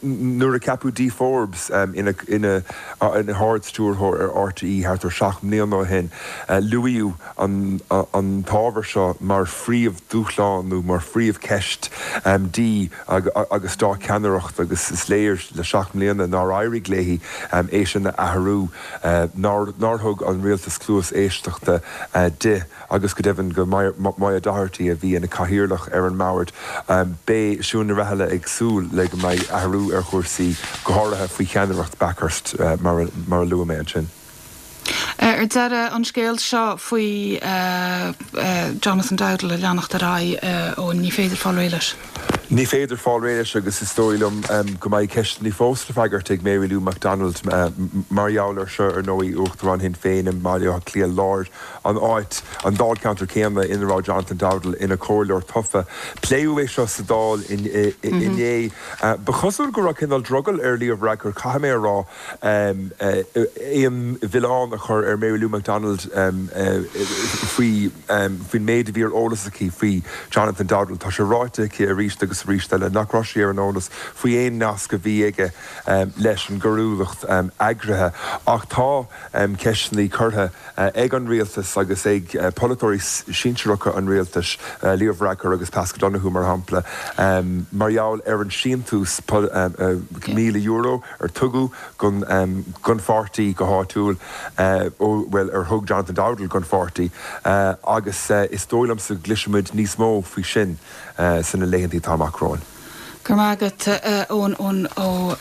nuair a ceapadh Dee Forbes ina ina hArd-Stiúrthóir ar RTÉ thart ar seacht mbliana ó shin, luaíodh an an t-ábhar seo mar phríomhdhúshlán nó mar phríomhcheist di agus dá ceannaireacht agus is léir le seacht mbliana nár éirigh léi é sin a athrú, nár thug an rialtas cluas éisteachta di agus go deimhin go Moya Doherty a bhí ina cathaoirleach ar an mbord. Beidh Siún Ní Raghallaigh ag súil le go mbeidh athrú ar chúrsaí, go háirithe faoi cheannaireacht Bakhurst mar a luaigh mé ansin. Ar deireadh, an scéal seo faoi Jonathan Dowdall ag leanacht ar aghaidh, ó ní féidir fáil réidh leis. Ní féidir fáil réidh leis agus is dóigh liom go mbeidh ceisteanna fós le freagairt ag Mary Lou McDonald mar gheall air seo, ar ndóigh, Uachtarán Shinn Féin i mBaile Átha Cliath Láir, an áit, an dáilcheantar céanna ina raibh Jonathan Dowdall ina chomhairleoir tofa. Pléadh é seo sa Dáil inné. Ba chosúil go raibh cineál drogall ar Leo Varadkar, caithfidh mé a rá, aon mhilleán a chur ar Mary Lou McDonald faoi faoin méid a bhí ar eolas aici faoi Jonathan Dowdall. Tá sé ráite aici arís agus arís eile nach raibh sí ar an eolas faoi aon nasc a bhí aige leis an gcoiriúlacht eagraithe. Ach tá ceisteanna curtha ag an rialtas agus ag polaiteoirí sinsearacha an rialtais, Leo Varadkar agus Paschal Donohoe mar shampla, mar gheall ar an síntiús míle euro ar tugadh don pháirtí go háitiúil, bhuel, ar thug Jonathan Dowdall don pháirtí, agus is dóigh liomsa go gcloisfimid níos mó faoi sin sna laethanta atá amach romhainn. Go raibh maith agat, Eoin, Eoin Ó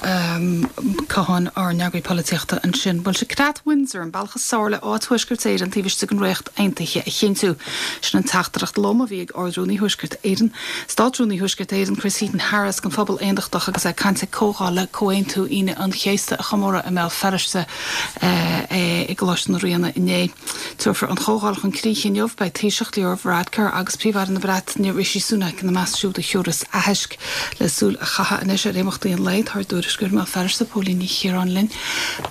Catháin, ár n-eagraí polaitíochta ansin. Bhuel, sé Creat Windsor an bealach is fearr le áit Thuaisceart Éireann taobh istigh den Ríocht Aontaithe a chinntiú. Sin an teachtaireacht lom a bhí ag Ard-Rúnaí Thuaisceart Éireann, Státrúnaí Thuaisceart Éireann, Chris Heaton-Harris, don phobal aontachtach agus é ag caint ag comhdháil le Comhaontú Aoine an Chéasta a chomóradh i mBéal Feirste i gColáiste na Ríona inné. Tabharfar an chomhdháil chun críche inniu. Beidh Taoiseach Leo Varadkar agus Príomh-Aire na Breataine Rishi Sunak ina measc siúd a thiúrfas aitheasc. Le súil a chaitheamh anois ar imeachtaí an lae, tá ár dtuairisceoir i mBéal Feirste, Póilín Ní Chiaráin linn.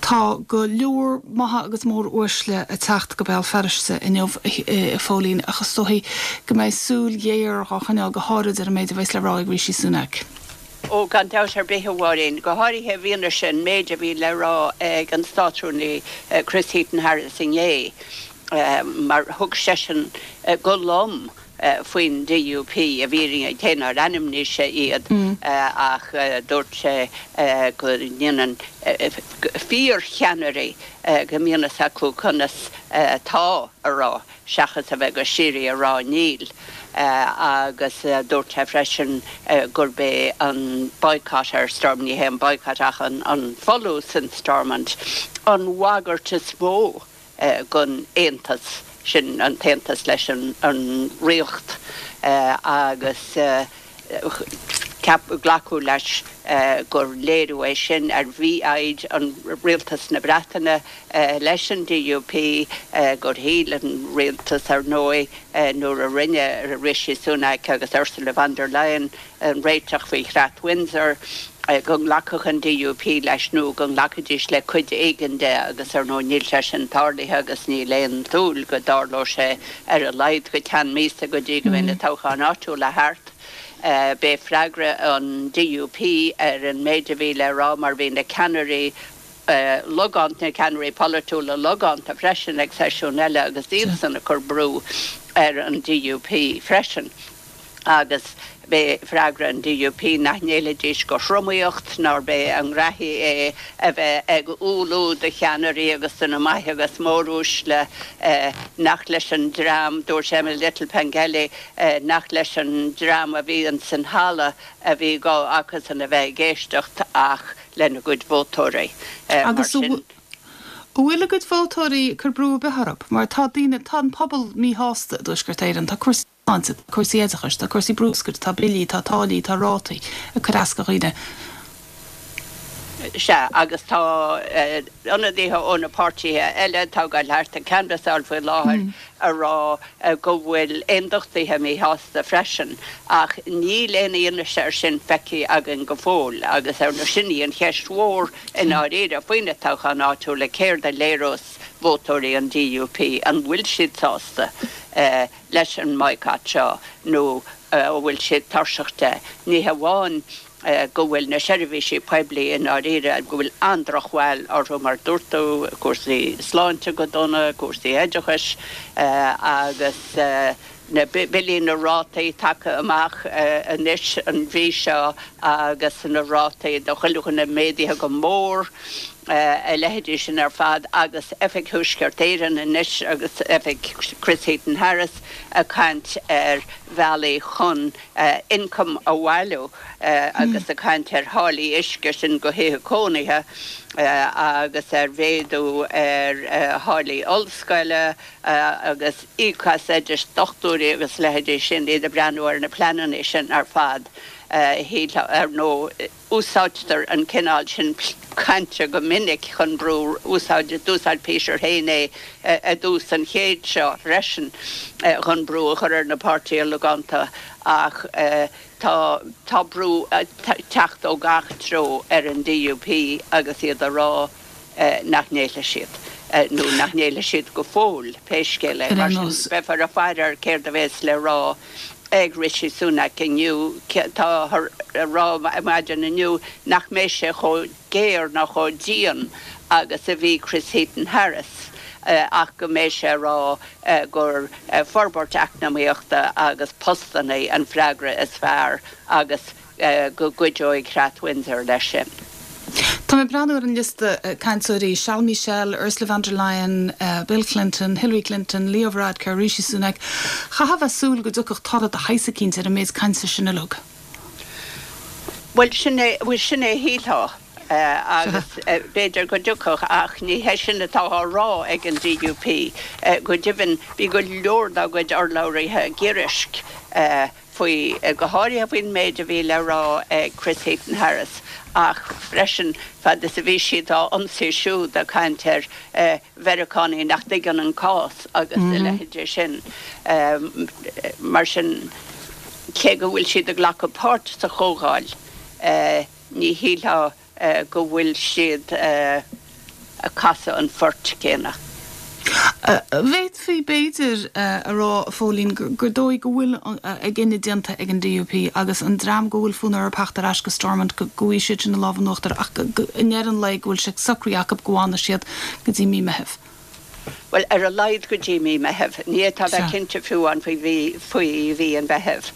Tá go leor maithe agus mór-uaisle ag teacht go Béal Feirste inniu, a Phóilín, ach is dóichí go mbeidh súil ghéar dhá choinneáil go háirid ar an méid a bheas le rá ag Rishi Sunak. Ó, gan dabht ar bith, a Mháirín, go háirithe i bhfianaise an méid a bhí le rá ag an Státrúnaí Chris Heaton-Harris inné, mar thug seisean go lom faoin D U P, i bhfírinne, cé nár ainmnigh sé iad, ach dúirt sé go ndéanann fíorcheannairí, go mbíonn fhios acu conas 'tá' a rá seachas a bheith go síoraí ag rá 'níl'. Agus dúirt sé freisin gurb é an boycott ar Stormont, ní hé an boycott ach an folús in Stormont, an bhagairt is mó don aontas, sin an t-aontas leis an Ríocht, agus glacadh leis gur léiriú é sin ar mhífhoighid an rialtas na Breataine leis an D U P, gur shíl an rialtas, ar ndóigh, nuair a rinne Rishi Sunak agus Ursula von der Leyen an réiteach faoi Chreat Windsor, go nglacfadh an D U P leis nó go nglacfaidís le cuid éigin de, agus ar ndóigh níl sé sin tarlaithe agus níl aon tsúil go dtarlódh sé ar a laghad go ceann míosa go dtí go mbeidh na toghcháin áitiúla thart. B'é freagra an D U P ar an méid a bhí le rá, mar bhí na ceannairí logánta, na ceannairí polaitiúla logánta freisin ag seisiún eile agus iadsan ag cur brú ar an D U P freisin. Agus b'é freagra an D U P nach ngéillfidís do thromaíocht, nárb é a ngraithí é a bheith ag umhlú do cheannairí agus do na maithe agus móruaisle, nach leis an dream, dúirt Emma Little-Pengelly, nach leis an dream a bhí san halla a bhí gá acusan a bheith ag éisteacht ach lena gcuid vótóirí. Mar sin. An bhfuil a gcuid vótóirí ag cur brú ar bith orthu? Mar tá daoine, tá an pobal míshásta i dTuaisceart Éireann, tá cúrsaí sláinte, tá cúrsaí oideachais, tá cúrsaí bruscair, tá billí, tá táillí, tá rátaí ag cur as do dhaoine. Sea, agus tá ionadaithe ó na páirtithe eile atá ag dul thart ag canbhasáil faoi láthair ag rá go bhfuil aondachtaithe míshásta freisin, ach níl aon fhianaise air sin feicthe againn go fóill agus ar ndóigh sin í an cheist mhór i ndáiríre faoi na toghcháin áitiúla, céard a léireos vótóirí an D U P, an bhfuil siad sásta leis an mboycott seo nó an bhfuil siad tuirseach de? Ní hamháin go bhfuil na seirbhísí poiblí i ndáiríre, go bhfuil an-drochbhail orthu mar dúirt tú, cúrsaí sláinte go dona, cúrsaí oideachais agus na billí, na rátaí tagtha amach anois an mhí seo agus na rátaí do chuile dhuine méadaithe go mór, a leithéidí sin ar fad agus Oifig Thuaisceart Éireann anois agus Oifig Chris Heaton-Harris ag caint ar bhealaí chun ioncam a bhailiú agus ag caint ar tháillí uisce, sin do thithe cónaithe, agus ar mhéadú ar tháillí ollscoile agus íoc as oidis dochtúirí agus a leithéidí sin, iad ag breathnú ar na pleananna sin ar fad. Ar ndóigh, úsáidtear an cineál sin cainte go minic chun brú, úsáid, d'úsáid Peter féin é i dtús an chéid seo freisin chun brú a chur ar na páirtithe logánta ach tá tá brú ag teacht ó gach treo ar an D U P agus iad ag rá nach ngéillfidh siad, nó nach ngéillfidh siad go fóill, pé scéal é. Mar sin, beifear ag faire ar céard a bheas le rá ag Rishi Sunak inniu. Táthar ag rá maidin inniu nach mbeidh sé chomh géar ná chomh dian agus a bhí Chris Heaton-Harris ach go mbeidh sé ag rá gur forbairt eacnamaíochta agus postanna an freagra is fearr agus go gcuideoidh Creat Windsor leis sin. Tá mé ag breathnú ar an liosta cainteoirí, Charles Michel, Ursula von der Leyen, Bill Clinton, Hillary Clinton, Leo Varadkar, Rishi Sunak. Chaithfeá a bheith ag súil go dtiocfadh toradh de shaghas eicínt ar an méid cainte sin uilig. Bhuel, sin é, bhuel, sin é shílfeá, agus b'fhéidir go dtiocfadh, ach ní hé sin atá á rá ag an DUP. Go deimhin, bhí go leor dá gcuid urlabhraithe giorraisc faoi, go háirithe faoin méid a bhí le rá ag Chris Heaton-Harris, ach freisin fad is a bhí siad á ionsaí siúd ag caint ar Mheiriceánaigh nach dtuigeann an cás agus a leithéidí sin. Mar sin, cé go bhfuil siad ag glacadh páirt sa chomhdháil, ní shílfeá go bhfuil siad ag casadh an phoirt chéanna. Bhféadfaí, b'fhéidir, a rá, a Phóilín, gur dóigh go bhfuil a gcinneadh déanta ag an DUP agus an dream go bhfuil fonn orthu theacht ar ais go Stormont go bhfaighidh siad sin an lámh in uachtar ach i ndeireadh an lae go bhfuil sé socraithe acu go bhfanfaidh siad go dtí mí Meithimh. Bhuel, ar a laghad go dtí mí Meithimh. Ní fhéadfá a bheith cinnte fiú amháin faoi mhí, faoi mhí an Mheithimh.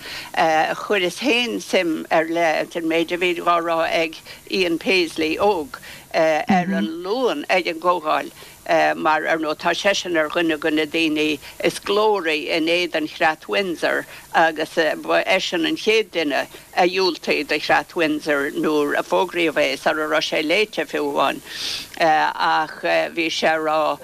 Chuireas féin suim ar leith san méid a bhí dhá rá ag Ian Paisley óg ar an Luan ag an gcomhdháil mar, ar ndóigh, tá seisean ar dhuine de na daoine is glóraí in éadan Chreat Windsor agus ba eisean an chéad duine a dhiúltaigh do Chreat Windsor nuair a fógraíodh é, sara raibh sé léite fiú amháin. Ach bhí sé a rá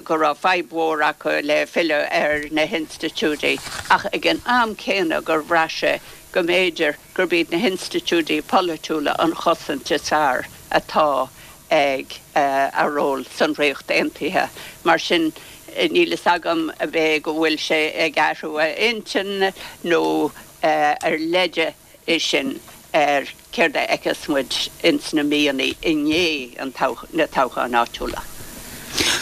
go raibh fadhb mhór acu le filleadh ar na hinstitiúidí ach ag an am céanna gur bhraith sé go mb'fhéidir gurb iad na hinstitiúidí polaitiúla an chosaint is fearr atá ag a ról san Ríocht Aontaithe. Mar sin, níl fhios agam ab é go bhfuil sé ag athrú a intinn nó ar leide é sin ar céard a fheicfeas muid ins na míonna i ndiaidh na toghcháin áitiúla.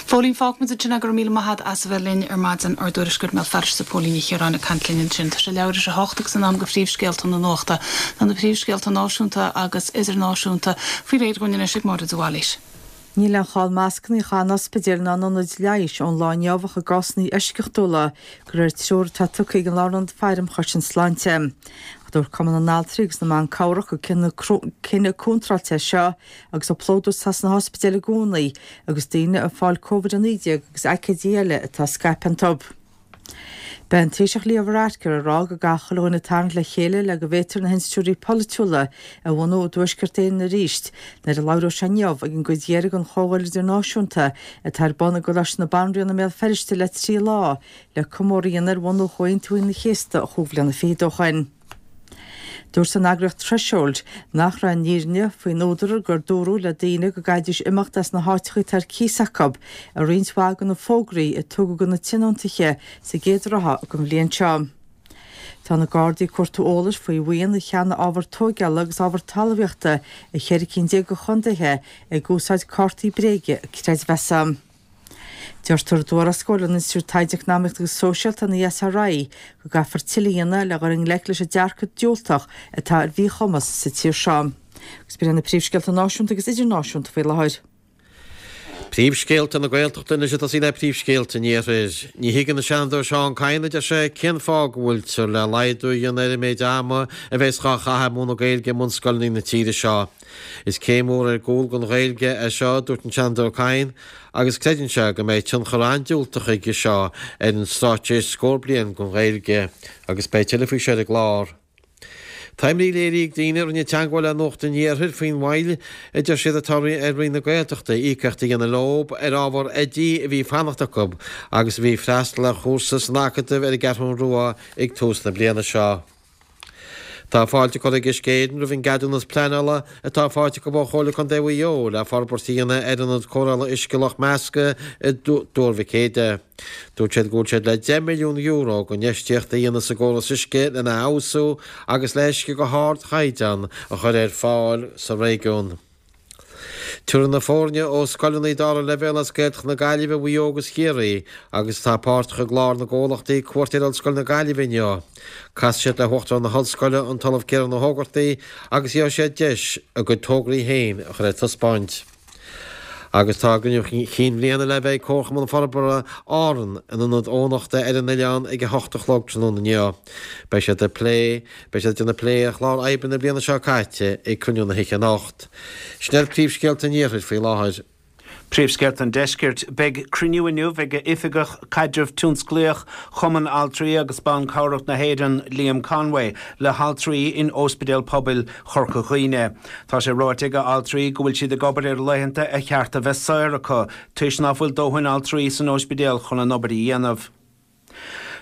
Phóilín, Fágfaimid ansin é, go raibh míle maith agat as a bheith linn ar maidin ár dtuairisceoir i mBéal Feirste Póilín Ní Chiaráin ag caint linn ansin. Tá sé leathuair tar éis a hocht agus in am do phríomhscéalta na nuachta. Tá na príomhscéalta náisiúnta agus idirnáisiúnta faoi réir dhúinn anois ag Máire de Bhailís. Níl aon chall mascanna a chaitheamh in ospidéil ná in ionaid leighis ón lá inniu ach i gcásanna eisceachtúla, de réir treoir atá tugtha ag an Lárionad Faire um Chosaint Sláinte. Ach dúirt Cumann na nAltraí agus na mBan Cabhrach gur cinneadh contráilte é seo agus an plódú atá sna hospidéil i gcónaí agus daoine ag fáil Covid a naoi déag agus aicídí eile atá ag scaipeadh iontu. Beidh an Taoiseach Leo Varadkar ag rá go gcaithfidh chuile dhuine tarraingt le chéile le go bhféadfar na hinstitiúidí polaitiúla a bhunú i dTuaisceart Éireann arís nuair a labhróidh sé inniu ag an gcuid dheiridh den Chomhdháil Idirnáisiúnta atá ar bun i gColáiste na Banríona i mBéal Feirste le trí lá le comóradh a dhéanamh ar bhunú Chomhaontú Aoine an Chéasta chúig bhliana fichead ó shoin. Dúirt an eagraíocht Threshold nach raibh an fhírinne faoin údar gur dúradh le daoine go gcaithfidís imeacht as na háiteacha atá ar cíos acu i roinnt mhaith de na fógraí a tugadh do na tionóntaithe sa gcéad ráithe den bhliain seo. Tá na Gardaí ag cuartú eolais faoi bhuíon a cheannaigh ábhar tóigeála agus ábhar talmhaíochta i cheithre cinn déag de chontaetha ag úsáid cártaí bréige creidmheasa. Deirtear i dtuarascáil ón Institiúid Taighde Eacnamaíochta agus Sóisialta, an ESRI, go gcaithfear tuilleadh a dhéanamh le dhul i ngleic leis an dearcadh diúltach atá ar mhíchumas sa tír seo. Agus b'in iad na príomhscéalta náisiúnta agus idirnáisiúnta faoi láthair. Príomhscéalta na Gaeltachta anois ag tosaí le príomhscéalta an Iarthair. Ní thuigeann an Seanadóir Seán Kyne, a deir sé, cén fáth go bhfuiltear le laghdú a dhéanamh ar an méid ama a bheas dhá chaitheamh ag múineadh Gaeilge i mbunscoileanna na tíre seo. Is céim mhór ar gcúl don Ghaeilge é seo, a dúirt an Seanadóir Kyne, agus creideann sé go mbeidh tionchar an-diúltach aige seo ar an straitéis scór bliain don Ghaeilge, agus beidh tuilleadh faoi seo ar an gclár. Tá imní léirithe ag daoine a rinne teagmháil le Nuacht an Iarthair faoin mhoill a deir siad atá ar Roinn na Gaeltachta íocaíocht a dhéanamh leo ar ábhar oidí a bhí ag fanacht acu agus a bhí ag freastal ar chúrsa san Acadamh ar an gCeathrú Rua ag tús na bliana seo. Tá fáilte curtha ag Uisce Éireann roimh an gceadúnas pleanála atá faighte acu ó Chomhairle Contae Mhaigh Eo le forbairt a dhéanamh ar ionad cóireála uisce Loch Measca i dTuar Mhic Éadaigh. Dúirt siad go bhfuil siad le deich milliún euro d'infheistíocht a dhéanamh sa gcóras uisce lena fheabhsú agus le huisce de ardchaighdeán a chur ar fáil sa réigiún. Tabharfaidh na foirne ó scoileanna dara leibhéal as Gaeltacht na Gaillimhe, Mhaigh Eo agus Chiarraí agus atá páirteach i gclár na gcomhlachtaí cuairt ar Ollscoil na Gaillimhe inniu. Casfaidh siad le hUachtarán na hOllscoile, an tOllamh Ciarán Ó hÓgartaigh, agus gheobhaidh siad deis a gcuid tograí féin a chur ar taispeáint. Agus tá a gcruinniú chinn bhliana le bheith ag Comharchumann Forbartha Árann in Ionad Eoghanachta ar an oileán ag a hocht a chlog tráthnóna inniu. Beidh siad ag plé Beidh siad ag déanamh plé ar chlár oibre na bliana seo caite ag cruinniú na hoíche anocht. Sin iad príomhscéalta an Iarthair faoi láthair. Príomhscéalta an Deiscirt beidh cruinniú inniu ag oifigeach caidreamh tionsclaíoch Chumann Altraí agus Ban Cabhrach na hÉireann Liam Conway le haltraí in Ospidéal Pobail Chorca Dhuibhne. Tá sé ráite ag altraí go bhfuil siad ag obair ar laethanta ar cheart a bheith saor acu, toisc nach bhfuil dóthain altraí san ospidéal chun an obair a dhéanamh.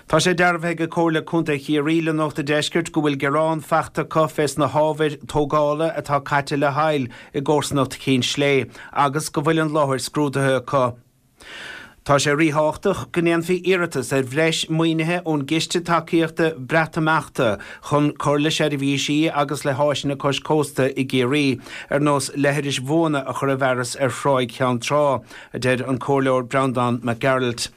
Tá sé dearbhaithe ag Comhairle Contae Chiarraí le Nuacht an Deiscirt go bhfuil gearán faighte acu fés na hábhair tógála atá caite le haill i gcomharsanacht Chinn Slé agus go bhfuil an láthair scrúdaithe acu. Tá sé ríthábhachtach go ndéanfaí iarratas ar bhreis maoinithe ón gCiste Tacaíochta Breatimeachta chun cur le seirbhísí agus le háiseanna cois cósta i gCiarraí, ar nós leithris bhuana a chur i bhfearas ar Thráigh Cheann Trá, a deir an Comhairleoir Breandán Mac Gearailt.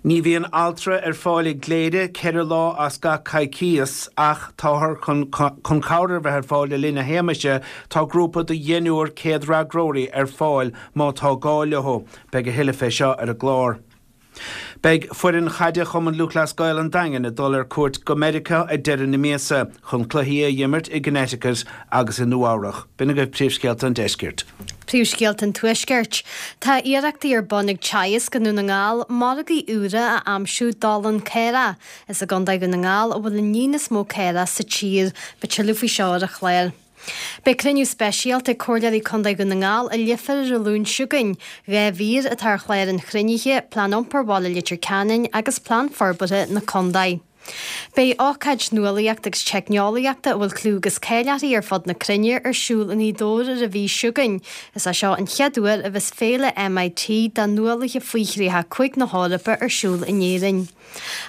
Ní bhíonn altra ar fáil i gCléire ceithre lá as gach coicíos ach táthar chun chun cabhair a bheith ar fáil le linn na héagmaise tá grúpa de dheichniúr céad-fhreagróirí ar fáil má tá gá leo. Beidh a thuilleadh fé seo ar an gclár. Beidh foireann chaide Chumann Lúthchleas Gael an Daingin ag dul ar cuairt go Meiriceá ag deireadh na míosa chun cluichí a imirt i gConnecticut agus i Nua-Eabhrac. B'in agaibh príomhscéalta an Deiscirt. Príomhscéalta an Tuaiscirt. Tá iarrachtaí ar bun ag Teagasc i nDún na nGall margaí úra a aimsiú d'olann caorach. Is i gContae Dhún na nGall a bhfuil an líon is mó caorach sa tír, beidh tuilleadh faoi seo ar an chlár. Beidh cruinniú speisialta ag Comhairleoirí Contae Dhún na nGall i Leifear ar an Luan seo chugainn. Dhá mhír atá ar chlár an chruinnithe, Plean Iompair Bhaile Leitir Ceanainn agus Plean Forbartha na Contae. Beidh ócáid nuálaíochta agus teicneolaíochta a bhfuil clú agus cáil uirthi ar fud na cruinne ar siúl i nGaoth Dobhair ar an mhí seo chugainn. Is é seo an chéad uair a bheas féile MIT do nuálaithe faoi thríocha cúig na hEorpa ar siúl in Éirinn.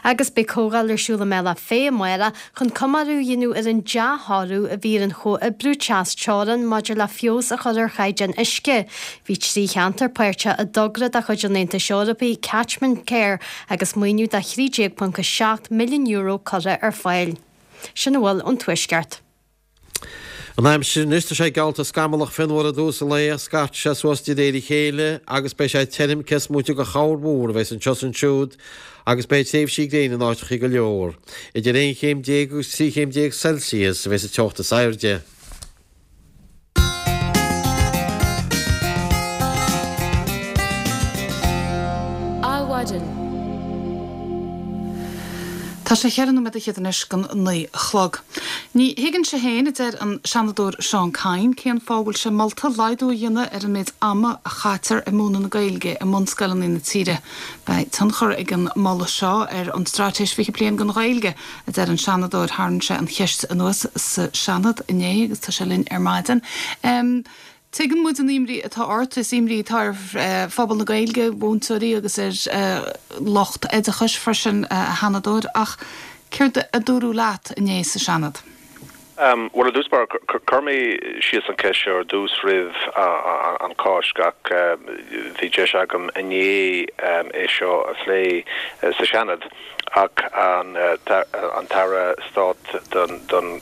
Agus beidh comhdháil ar siúl i mBealach Féich amárach chun comóradh a dhéanamh ar an dea-thoradh a bhí ar an chomhoibriú trasteorann maidir le feabhas a chur ar chaighdeán uisce. Bhí trí cheantar páirteach i dtogra de chuid an Aontais Eorpaigh Catchment Care agus maoiniú de thrí déag ponc a seacht milliún euro curtha ar fáil. Sin a bhfuil ón Tuaisceart. An aimsir anois tá sé geallta scamallach fionnuar i dtús an lae, scairtfidh sé suas de réir a chéile agus beidh sé tirim cés móite de chorrmhúr a bheas anseo is ansiúd agus beidh tréimhsí gréine in áiteacha go leor. Idir aon chéim déag agus trí chéim déag Celsius a bheas an teocht is airde. Adhmhaidin. Tá sé cheithre nóiméad fhichead anois don naoi a chlog. Ní thuigeann sé féin, a deir an Seanadóir Seán Kyne, cén fáth a bhfuil sé molta laghdú a dhéanamh ar an méid ama a chaitear ag múineadh na Gaeilge i mbunscoileanna na tíre. Beidh tionchar ag an moladh seo ar an Straitéis Fiche Bliain don Ghaeilge, a deir an Seanadóir. Tharraing sé an cheist anuas sa Seanad inné agus tá sé linn ar maidin. Um, Tuigeann muid an imní atá ort, is imní atá ar phobal na Gaeilge, mhúinteoirí agus ar lucht oideachais freisin, a Sheanadóir, ach céard a dúradh leat inné sa Seanad? Bhuel, ar dtús báire, chuir mé síos an cheist seo ar dtús roimh an Cháisc ach bhí deis agam inné é seo a phlé sa Seanad. Ach an tAire Stáit don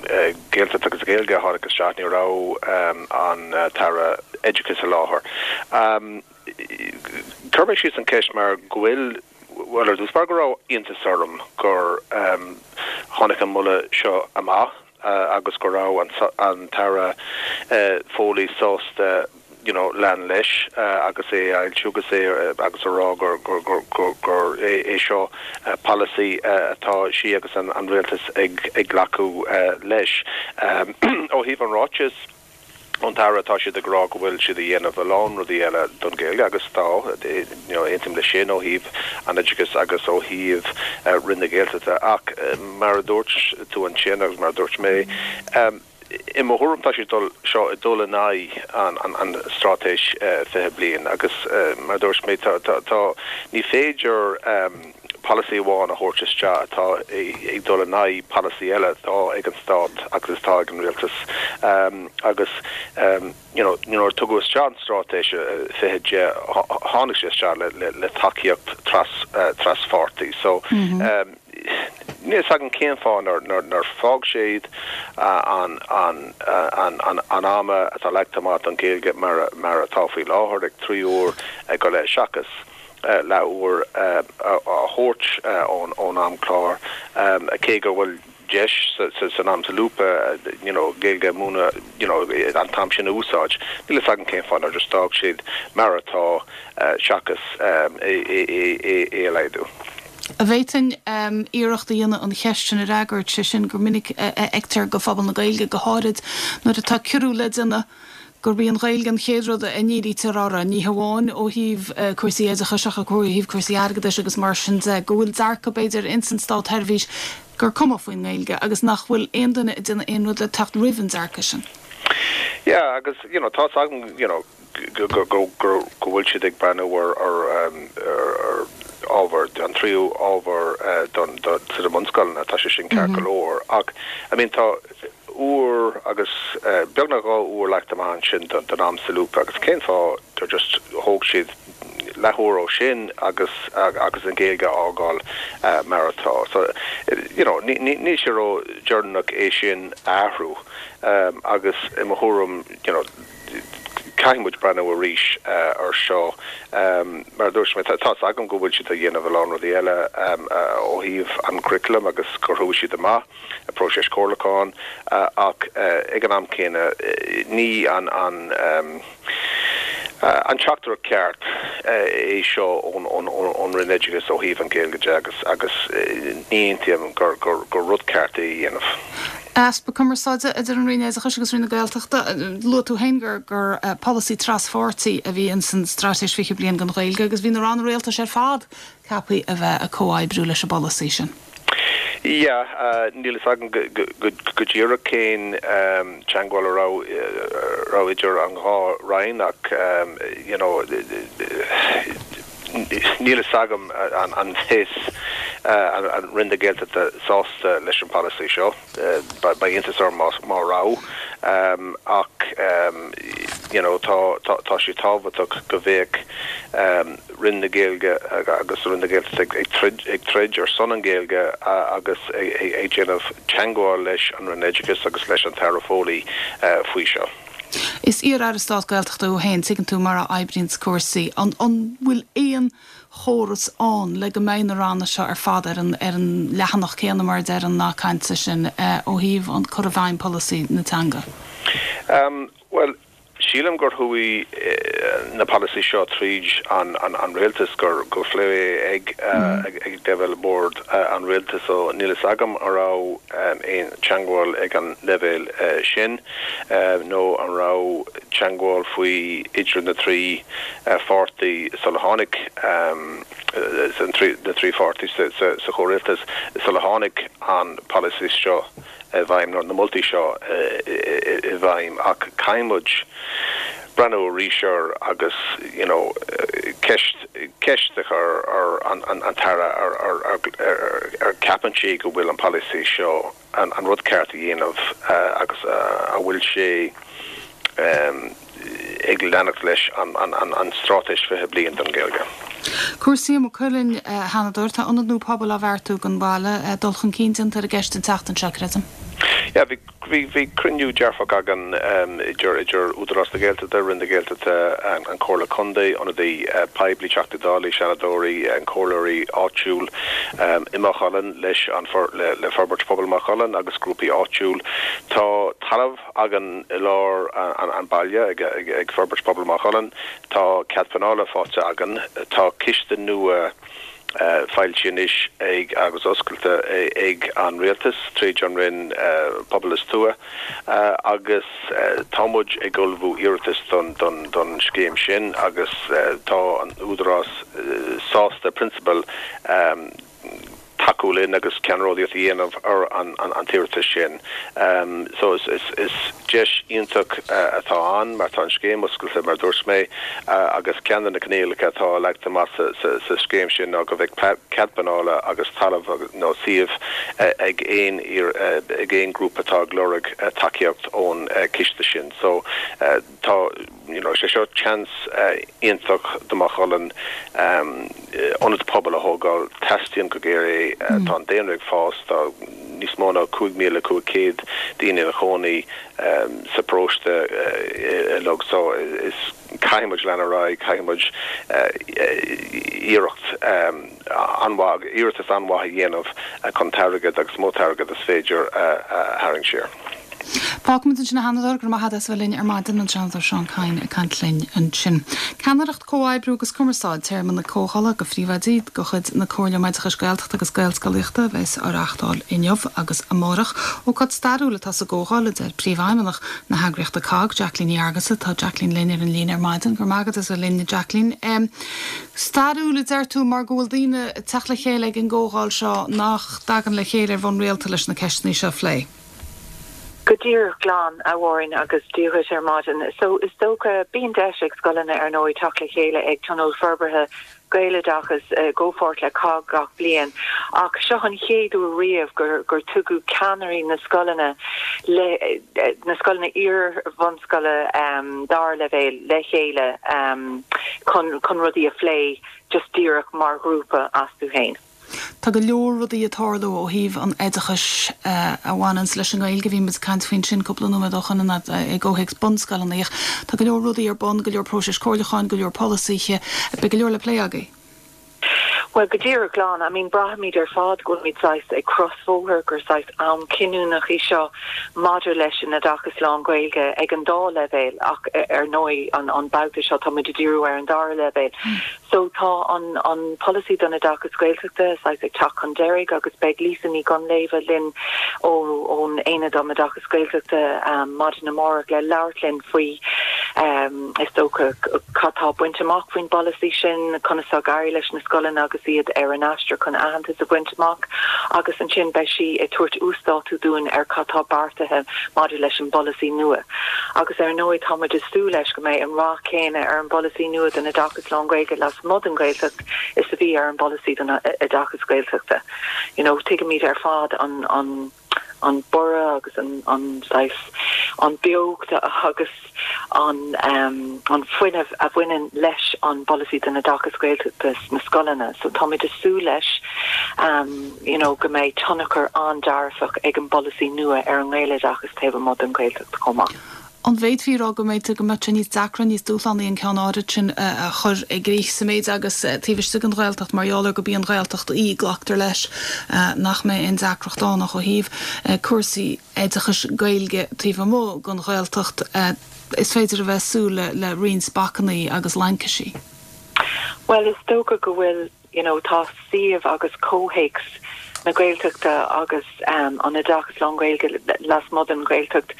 Ghaeltacht agus Gaeilge a tháinig isteach, ní raibh an tAire Oideachais i láthair. Chuir mé síos an cheist mar go bhfuil, bhuel, ar dtús báire go raibh iontas orm gur tháinig an moladh seo amach agus go raibh an tAire Foley sásta you know, lean leis agus é a fhoilsiú agus é agus a rá gur gur gur gur gur é é seo polasaí atá sí agus an an rialtas ag ag glacadh leis. Ó thaobh an ráiteas ón tAire tá siad ag rá go bhfuil siad a dhéanamh a lán rudaí eile don Ghaeilge agus tá you know, aontaím leis sin ó thaobh an oideachais agus ó thaobh Roinn na Gaeltachta ach mar a dúirt tú ansin agus mar a dúirt mé i mo thuairim tá sé dul seo ag dul in aghaidh an an an straitéis fiche bliain agus mar a dúirt mé tá tá tá ní féidir polasaí amháin a thabhairt isteach atá ag dul in aghaidh polasaí eile atá ag an stát agus atá ag an rialtas agus you know nuair a tugadh isteach an straitéis fiche deich tháinig sé isteach le le le tacaíocht tras traspháirtí so Níl fhios agam cén fáth nár nár fág siad an an an an an ama atá leagtha amach don Ghaeilge mar mar atá faoi láthair ag trí uair go leith seachas leathuair a thabhairt ón ón amchlár cé go bhfuil deis san am solúbtha you know Gaeilge a mhúineadh you know an t-am sin a úsáid. Níl a fhios agam cén fáth nár just d'fhág siad mar atá seachas é é a laghdú. An bhféadfainn iarracht a dhéanamh an cheist sin a fhreagairt, sé sin gur minic a fheictear go phobal na Gaeilge, go háirid nuair atá ciorrú le déanamh, gurb í an Ghaeilge an chéad rud a ndírítear uirthi, ní hamháin ó thaobh cúrsaí oideachais ach ó thaobh cúrsaí airgeadais agus mar sin de, go bhfuil dearcadh b'fhéidir ins an státsheirbhís gur cuma faoin nGaeilge agus nach bhfuil aon duine ag déanamh aon rud le teacht roimh an dearcadh sin. Yeah, agus you know, tá's agam you know, go go go go go bhfuil siad ag breathnú ar ar um, ar ar ábhar an tríú ábhar uh, don do sna bunscoileanna tá sé sin ceart go leor ach I mean tá uair agus uh, beagnach dhá uair leagtha amach ansin don don am solúbtha agus cén fáth gur just thóg siad leathuair ó sin agus agus an Ghaeilge a fhágáil uh, mar atá. So you know, ní ní sé ró-dheireanach é sin a athrú um, agus i mo thuairim you know, caithfidh muid breathnú arís uh, ar seo um, mar dúirt mé tá agam go bhfuil siad ag déanamh a lán rudaí eile um, uh, ó thaobh an curriculum agus gur chuaigh siad amach a próiseas comhairliúcháin uh, ach uh, ag an am céanna uh, ní an an um, uh, an teachtaireacht ceart uh, é seo ón ón ón Roinn Oideachais ó thaobh an Ghaeilge de agus agus uh, ní aontaím gur gur gur rud ceart é a dhéanamh. Easpa cumarsáide idir an Roinn Oideachais agus Roinn na Gaeltachta luaigh tú féin gur gur uh, polasaí traspháirtí a bhí in san straitéis fiche bliain don Ghaeilge agus bhí na ranna rialtais ar fad ceaptha a bheith ag comhoibriú leis an bpolasaí sin. Ja, uh, níl a fhios agam go díreach cén um, teagmháil a raibh raibh idir an dhá roinn ach um, you know, níl a fhios agam an an is uh, an Roinn na Gaeltachta sásta leis an polasaí seo uh, ba iontas orm má má raibh um, ach um, you know, tá tá tá sé tábhachtach go mbeadh um, Roinn na Gaeilge agus Roinn na Gaeltachta ag ag troid ag troid ar son an Ghaeilge agus ag déanamh teagmháil leis an Roinn Oideachais agus leis an tAire Foley uh, faoi seo. Is iar-aire stáit Gaeltachta thú féin tuigeann tú mar a oibríonn cúrsaí an an bhfuil aon chóras ann le go mbeidh na ranna seo ar fad ar an ar an leathanach céanna mar deir an nath cainte sin uh, ó thaobh an cur i bhfeidhm polasaí na teanga. Um, well, sílim gur chuaigh eh, na polasaí seo tríd an, an, an rialtas gur go phléadh ag uh, ag, ag leibhéal board uh, an rialtas so níl a fhios agam an raibh um, aon teagmháil ag an leibhéal uh, sin uh, nó an raibh teagmháil faoi idir na trí uh, pháirtí sula tháinig um, uh, trí, na trí pháirtí sa, sa, sa chomhrialtas sula tháinig an polasaí seo i bhfeidhm nó na moltaí seo i bhfeidhm ach caithfidh muid breathnú arís air agus you know ceist ceist a chur ar an an an tAire ar ar ar ar ceapann sí go bhfuil an polasaí seo an an rud ceart a dhéanamh uh, agus uh, a bhfuil sé um, ag leanacht leis an an an an straitéis fiche bliain don Ghaeilge. Cúrsaí i Maigh Cuilinn a Sheanadóir tá ionad nua pobail á bheartú don bhaile dul chun cinn déanta ar an gceist an tseachtain seo creidim. Ja, bhí bhí bhí cruinniú dearfach againn um, idir idir Údarás na Gaeltachta Roinn na Gaeltachta an, an Comhairle Contae ionadaí uh, poiblí Teachtaí Dála Seanadóirí an comhairleoirí áitiúil um, i Maigh Cuilinn leis an for, le, le forbairt pobal Maigh Cuilinn agus grúpaí áitiúil. Tá talamh againn i lár an, an, an baile ag, ag, ag forbairt pobal Maigh Cuilinn, Tá cead pleanála faighte againn, tá ciste nua uh, foilsithe anois ag agus oscailte ag an rialtas tríd an Roinn uh, Pobal is Tuaithe uh, agus uh, tá muid ag ullmhú iarratas don, don, don scéim sin agus uh, tá an údarás uh, sásta prionsabal um, tacú linn agus ceannródaíocht a dhéanamh ar an, an, an t-iarratas sin. Um, so is, is, is deis iontach uh, atá ann mar tá an scéim oscailte mar dúirt mé uh, agus ceann de na coinníollacha atá leagtha amach sa, sa, sa scéim sin ná go bheadh cead pleanála agus talamh nó suíomh uh, ag aon uh, ag aon grúpa atá ag lorg uh, tacaíocht ón uh, ciste sin. So uh, tá you know, sé seo chance uh, iontach do Mhaigh Cuilinn um, ionad pobail a thógáil teastaíonn go géar é uh, mm. tá an daonra ag fás tá níos mó ná cúig míle cúig chéad daoine ina gcónaí um, sa bparóiste uh, log so is Caithfidh muid lean ar aghaidh, caithfidh muid iarracht an-mhaith, iarratas an-mhaith a dhéanamh chun t-airgead agus is mó t-airgead is féidir a tharraingt siar. Fágfaimid ansin a Sheanadóir, go raibh maith agat as a bheith linn ar maidin, an Seanadóir Seán Kyne ag caint linn ansin. Ceannaireacht, comhoibriú agus cumarsáid, téarma na comhdhála do phríomhoidí de chuid na Comhairle um Oideachais Gaeltachta agus Gaelscolaíochta a bheas á reáchtáil inniu agus amárach. Ócáid stairiúil atá sa gcomhdháil, a deir Príomhfheidhmeannach na heagraíochta COGG, Jacqueline Ní Fhearghusa. Tá Jacqueline linn ar an líne ar maidin. Go raibh maith agat as a bheith linn, Jacqueline. Stairiúil a deir tú mar go bhfuil daoine ag teacht le chéile ag an gcomhdháil seo nach dtagann le chéile ar bhonn rialta leis na ceisteanna seo a phlé. Go díreach glan, a Mháirín, agus Dia dhuit ar maidin. So is dócha, bíonn deis ag scoileanna ar ndóigh teacht le chéile ag Tionól Forbartha Gaeloideachas i gcomhpháirt le COGG gach bliain ach seo an chéad uair riamh gur gur tugadh ceannairí na scoileanna le na scoileanna iar-bhunscoile dara leibhéal le chéile chun chun rudaí a phlé just díreach mar ghrúpa astu féin. Tá go leor rudaí ag tarlú ó thaobh an oideachais a bhaineanns leis an nGaeilge. Bhí muid ag caint faoin sin cúpla nóiméad ó shin i gcomhthéacs bunscoileanna. Tá go leor rudaí ar bun, go leor próisis comhairliúcháin, go leor polasaithe, beidh go leor le plé agaibh. Bhuel, go díreach glan, I mean braithimid ar fad go bhfuilimid saghas ag crosbhóthar, gur saghas am cinniúnach í seo maidir leis an oideachas lán-Ghaeilge ag an dá leibhéal ach ar ndóigh an an babhta seo tá muid ag díriú ar an dara leibhéal. So tá an an polasaí don oideachas Gaeltachta saghas ag teacht chun deiridh agus beidh Lisa Ní Dhonnláimhe linn ó ón Aonad um Oideachas Gaeltachta maidin amárach le labhairt linn faoi is dócha cad tá bainte amach faoin bpolasaí sin, conas tá ag éirí leis na scoileanna agus iad ar an aistear chun aitheantas a bhaint amach agus ansin beidh sí ag tabhairt uasdátú dúinn ar cad tá beartaithe maidir leis an bpolasaí nua. Agus ar ndóigh tá muid ag súil leis go mbeidh an rath céanna ar an bpolasaí nua don oideachas lán-Ghaeilge lasmuigh den Ghaeltacht is a bhí ar an bpolasaí don oideachas Gaeltachta. You know, tuigimid ar fad an an an borradh agus an an saghas an beocht agus an an fuinneamh a bhaineann leis an bpolasaí don oideachas Gaeltachta sna scoileanna. So táimid ag súil leis you know go mbeidh tionchar an-dearfach ag an bpolasaí nua ar an nGaeloideachas taobh amuigh den Ghaeltacht chomh maith. An bhféadfaí a rá go mbeidh go mbeadh sé níos deacra, níos dúshlánaí an ceann áirid sin a chur i gcrích sa méid agus taobh istigh den Ghaeltacht mar gheall ar gurb í an Ghaeltacht í, glactar leis nach mbeidh aon deacracht ann ach ó thaobh cúrsaí oideachais Gaeilge taobh amuigh den Ghaeltacht is féidir a bheith ag súil le roinnt bacainní agus laincisí. Bhuel is dócha go bhfuil you know tá suíomh agus comhthéacs na Gaeltachta agus um, an oideachas lán-Ghaeilge lasmuigh den Ghaeltacht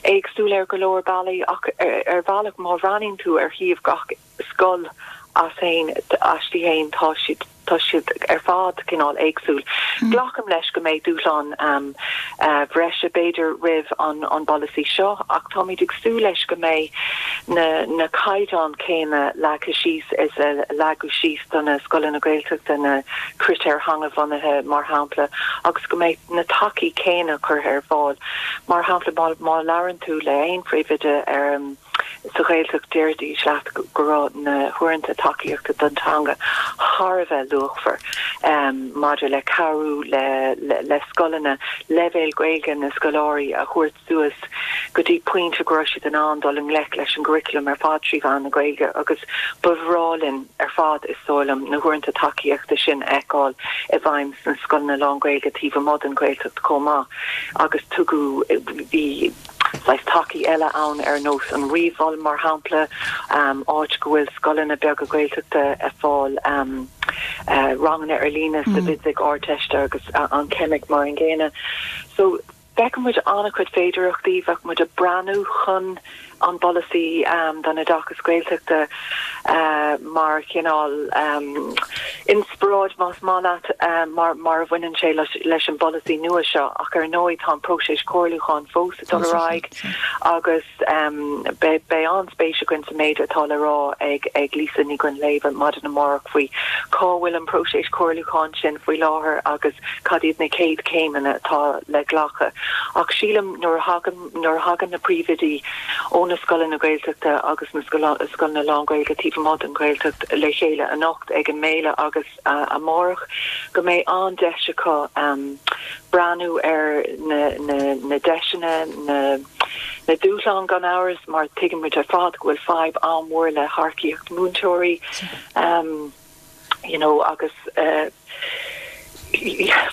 éagsúil ar go leor bealaí ach ar, ar bhealach má bhreathnaíonn tú ar shuíomh gach scoil as féin aisti féin tá siad tá siad ar fad cineál éagsúil. Mm. Glacaim leis go mbeidh dúshlán um, uh, bhreise b'fhéidir roimh an an bpolasaí seo ach táimid ag súil leis go mbeidh na na caighdeáin céanna leagtha síos is a leagadh síos do na scoileanna Gaeltachta na critéir theangabhunaithe mar shampla agus go mbeidh na tacaí céanna curtha ar fáil. Mar shampla má, má labhrann tú le aon phríomhoide ar um, sa Ghaeltacht déarfaidís leat go raibh na huaireanta tacaíochta don teanga thar a bheith luachmhar um, maidir le cabhrú le, le, le scoileanna leibhéal Gaeilge na scoláirí a thabhairt suas go dtí pointe go raibh siad in ann dul i ngleic leis an gcurriculum ar fad trí mheán na Gaeilge agus ba bhreá linn ar fad is dóigh liom na huaireanta tacaíochta sin a fheiceáil i bhfeidhm sna scoileanna lán-Ghaeilge taobh amuigh den Ghaeltacht chomh maith agus tugadh bhí saghas tacaí eile ann ar nós an ríomh-Mhol mar shampla um, áit go bhfuil scoileanna beaga Gaeltachta ag fáil um, uh, ranganna ar líne sa mm. bhfisic Ardteiste agus uh, an ceimic mar an gcéanna. So Feicimid muid an-chuid féidearthachtaí bheadh muid ag breathnú chun an bpolasaí um, don oideachas Gaeltachta uh, mar chineál um, inspioráid más maith leat uh, mar, mar a bhaineann sé leis, leis an bpolasaí nua seo ach ar ndóigh tá an próiseas comhairliúcháin fós ag dul ar aghaidh agus um, beidh an-spéis againn sa méid atá le rá ag ag Lisa Ní Dhuinnshléibhe maidin amárach faoi cá bhfuil an próiseas comhairliúcháin sin faoi láthair agus cad iad na céad céimeanna atá le glacadh. Ach sílim nuair a thagann nuair a thagann na príomhoidí ó na scoileanna Gaeltachta agus na scoileanna lán-Ghaeilge taobh amuigh den Ghaeltacht le chéile anocht ag an mbéile agus uh, amárach go mbeidh an-deis acu um, breathnú ar na, na, na deiseanna na na dúshláin gan amhras mar tuigeann muid ar fad go bhfuil fadhb an-mhór le hearcaíocht múinteoirí um, you know, agus uh,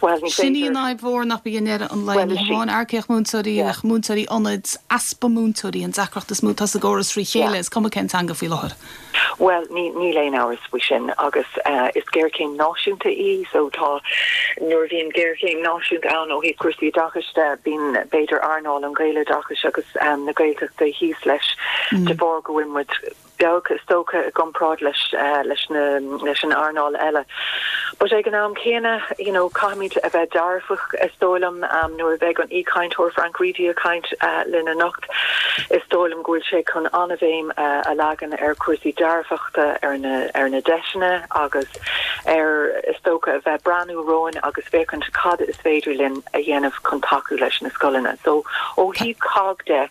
well ní Sin í féidir an fhadhb mhór nach bí an an le Well, is sí. amháin earcaíocht múinteoirí ach múinteoirí ionaid easpa múinteoirí an deacracht is mó atá sa gcóras trí chéile is cuma cén teanga faoi láthair. Well ní níl aon amhras faoi sin agus uh, is géarchéim náisiúnta í so tá nuair bhíonn géarchéim náisiúnta ann ó thaobh cúrsaí oideachais de bíonn b'fhéidir earnáil an Ghaeloideachais agus um, na Gaeltachta thíos leis mm. de bharr go bhfuil muid beag is dócha i gcomparáid leis uh, leis na leis an earnáil eile. But ag an am céanna you know, caithfimid a bheith dearfach is dóigh liom um, nuair a bheidh an aoichainteoir Frank Reidy ag caint uh, linn anocht is dóigh liom go bhfuil sé chun an-bhéim uh, a leagan ar cúrsaí dearfachta ar na ar na deiseanna agus ar is dócha a bheith breathnú romhainn agus féachaint cad is féidir linn a dhéanamh chun tacú leis na scoileanna. So ó thaobh COGG de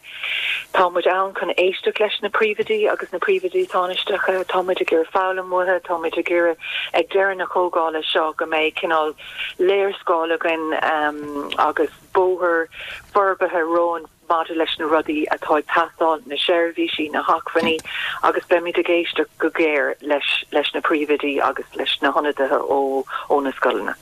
tá muid ann chun éisteacht leis na príomhoidí agus na príomhoidí tánaisteacha tá muid ag iarraidh foghlaim uathu tá muid ag iarraidh ag deireadh na comhdhála seo go mbeidh cineál léarscáil againn um, agus bóthar forbartha romhainn maidir leis na rudaí atá ag teastáil na seirbhísí na hacmhainní agus beimid ag éisteacht go géar leis leis na príomhoidí agus leis na hionadaithe ó ó na scoileanna.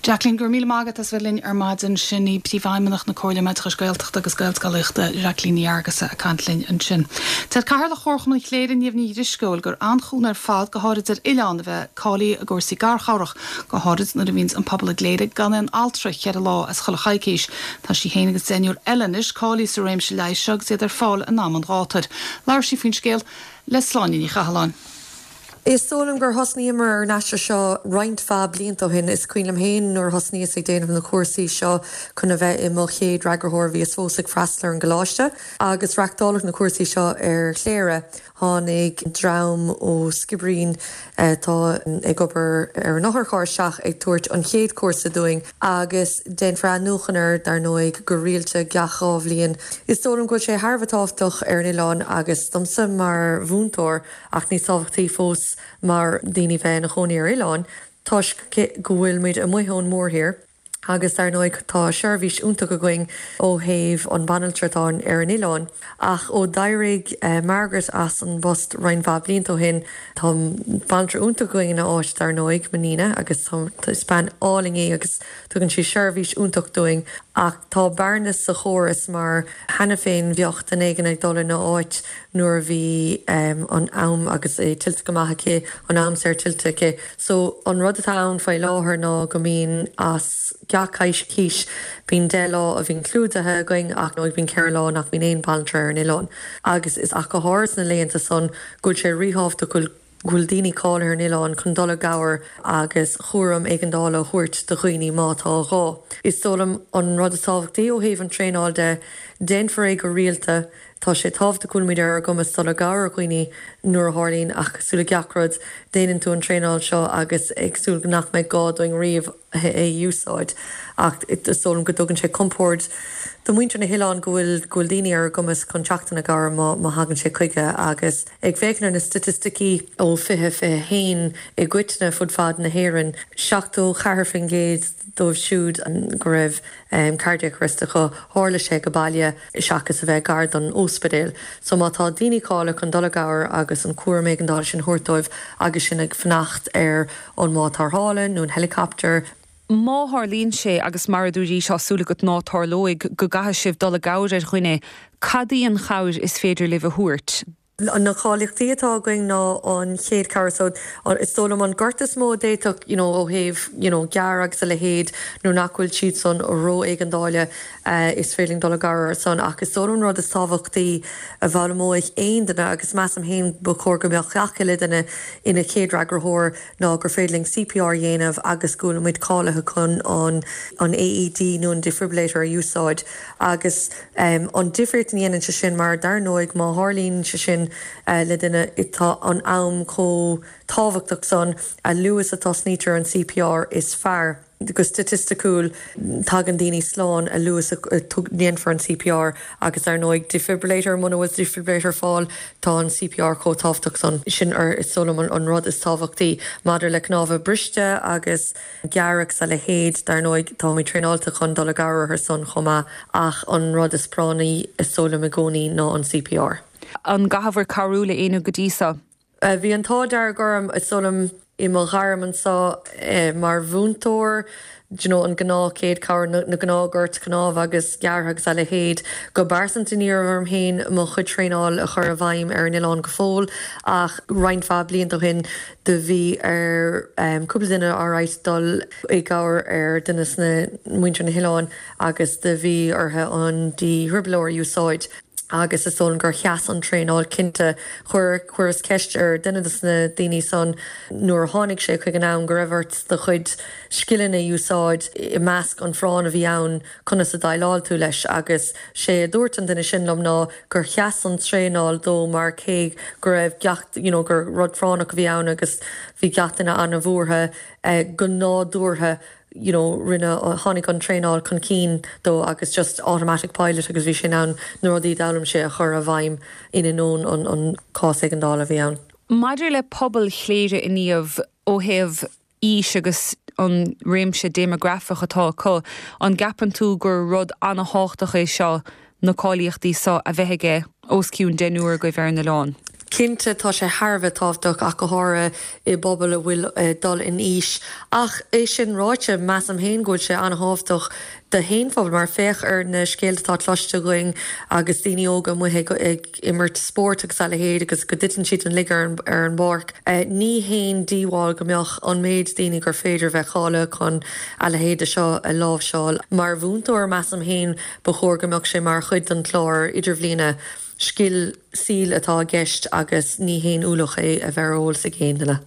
Jacqueline gur míle maith as bheith linn ar maidin sin í príomhfheidhmeannach na Comhairle Oideachais Gaeltachta agus Gaelscolaíochta Jacqueline Ní Fhearghusa ag caint linn ansin. Deir Cathaoirleach Chomharchumann Chléire Niamh Ní Drisceoil gur an-chúnamh ar fad go háirid ar oileán a bheith cáilithe i gcúrsaí garchabhrach go háirid nuair a bhíonn an pobal i gCléire gan aon altra cheithre lá as chuile choicís. Tá sí féin agus deichniúr eile anois cáilithe sa réimse leighis seo agus iad ar fáil in am an ghátair. Labhair sí faoin scéal le Sláine Ní Chathalláin. Is dóigh liom gur thosnaíomar ar an aistear seo roinnt mhaith blianta ó shin is cuimhin liom féin nuair thosnaíos ag déanamh na cúrsaí seo chun a bheith i mo chéad fhreagraitheoir bhíos fós ag freastal ar an gcoláiste agus reáchtáladh na cúrsaí seo ar Chléire tháinig dream ó Skibbereen atá ag obair ar an otharcharr isteach ag tabhairt an chéad cúrsa dúinn agus déanfar athnuachan air dar ndóigh go rialta gach dhá bhliain. Is dóigh liom go bhfuil sé thar a bheith tábhachtach ar an oileán agus domsa mar mhúinteoir ach níos tábhachtaí fós mar daoine bheith ina gcónaí ar oileán, toisc go bhfuil muid amuigh ón mórthír agus dar ndóigh tá seirbhís iontach againn ó thaobh an banaltra atá ar an oileán. Ach ó d'éirigh uh, Margaret as an bpost roinnt mhaith blianta ó shin tá banaltra iontach againn ina áit dar ndóigh Nina agus is bean álainn í agus tugann sí seirbhís iontach dúinn ach tá bearna sa chóras mar cheana féin bheadh duine éigin ag dul ina áit nuair a bhí um, an am agus é tuillte go maith aici an am saor tuillte aici. So an rud atá ann faoi láthair ná go mbíonn as gach coicís bíonn deich lá a bhíonn clúdaithe againn ach nó bíonn ceithre lá nach mbíonn aon banaltra ar an oileán. Agus is ach go háirithe sna laethanta san go bhfuil sé ríthábhachtach go bhfuil daoine cáilithe ar an oileán chun dul i gcabhair agus cúram éigeandála a thabhairt do dhaoine má tá gá. Is dóigh liom an rud is tábhachtaí ó thaobh an traenáil de déanfar é go rialta tá sé tábhachtach go bhfuil muid ar ár gcumas dul i gcabhair dhaoine nuair a tharlaíonn ach súil gach rud déanann tú an traenáil seo agus ag súil nach mbeidh gá dúinn riamh é úsáid ach is dóigh liom go dtugann sé compord do mhuintir na hoileán go bhfuil go bhfuil daoine ar a gcumas chun teacht ina gcabhair má má thagann sé chuige agus ag féachaint ar na staitisticí ó fiche fiche haon i gcoitinne fud fad na hÉireann seachtó ceathair faoin gcéad dóibh siúd go raibh um, cardiac arrest acu tharla sé go baile seachas a bheith gar don ospidéal. So má tá daoine cáilithe chun dul i gcabhair agus an cúram éigeandála sin a thabhairt dóibh agus sin ag fanacht ar an mbád tarrthála nó an helicopter. Má tharlaíonn sé agus mar a dúirt tá súil agat nach dtarlóidh go gcaithfidh sibh dul i gcabhair ar dhuine, cad í an chabhair is féidir libh a thabhairt. Na cáilíochtaí atá againn ná an chéad chabhair so is dóigh liom an gortú is mó d'fhéadfadh you know, ó thaobh you know, gearr agus a leithéid nó nach bhfuil siad san ró-éigeandála uh, is féidir dul i gcabhair san ach is dóigh liom rud is tábhachtaí a bhfoghlaimeoidh aon duine agus measaim féin ba chóir go mbeadh gach uile duine ina chéad fhreagraitheoir ná gur féidir linn CPR a dhéanamh agus go bhfuil muid cáilithe chun an an AED nó an defibrillator a úsáid agus um, an difríocht a dhéanann sé sin mar dar ndóigh má tharlaíonn sé sin uh, le duine tá an am chomh tábhachtach san a luaithe a thosnaítear an CPR is fearr. Go staitisticiúil tagann daoine slán a luaithe is a dhéanfar an CPR agus ar ndóigh defibrillator muna bhfuil defibrillator ar fáil tá an CPR chomh tábhachtach san. Sin ar is dóigh liom an rud is tábhachtaí maidir le cnámha briste agus gearradh is a leithéid dar ndóigh táimid traenáilte chun dul i gcabhair orthu san chomh maith ach an rud is práinní is dóigh liom i gcónaí ná an CPR. An gcaithfear cabhrú le éinne go dtí seo? Bhí an t-ádh dearg orm is dóigh liom i mo ghairm anseo mar mhúinteoir, do you know, an gnáth céad cabhair, na gnáth goirt cnámh agus gearrtha agus a leithéid. Go pearsanta ní raibh orm féin mo chuid traenáil a chur i bhfeidhm ar an oileán go fóill ach roinnt mhaith blianta ó shin do bhí ar cúpla duine alright dul i gcabhair ar duine sna muintir na hoileáin agus do bhí orthu an dífhribilitheoir a úsáid. agus is dóigh liom gur sheas an traenáil cinnte. Chuir chuireas ceist ar duine de na daoine san nuair a tháinig sé chuig an am go raibh ort do chuid scileanna a úsáid i measc an phráinn a bhí ann conas a dhéileáil tú leis agus sé a dúirt an duine sin liom ná gur sheas an traenáil dó mar cé go raibh gach you know gur rud práinneach a bhí ann agus bhí gach duine an-bhuartha go nádúrtha you know, rinne tháinig an traenáil chun cinn dó agus just automatic pilot agus bhí sé in ann na rudaí a d'fhoghlaim sé a chur i bhfeidhm in ainneoin an, an cás éigeandála a bhí ann. Maidir le pobal Chléire inniu ó thaobh aois agus an réimse déimeagrafach atá acu, an gceapann tú gur rud an-tábhachtach é seo na cáilíochtaí seo a bheith aige os cionn deichniúr agaibh ar an oileán? Cinnte tá sé thar a bheith tábhachtach ach go háirithe i bpobal a bhfuil ag dul in aois. Ach é sin ráite measaim féin go bhfuil sé an-tábhachtach d'aon phobal mar féach ar na scéalta atá cloiste againn agus daoine óga amuigh ag ag imirt spóirt agus a leithéid agus go dtiteann siad an lig ar an ar an bpáirc. Ní haon díobháil go mbeadh an méid daoine gur féidir bheith cáilithe chun a leithéide seo a láimhseáil. Mar mhúinteoir measaim féin ba chóir go mbeadh sé mar chuid den chlár idirbhliana. Scil saoil atá i gceist agus ní haon ualach é a bheith ar eolas ag aon duine.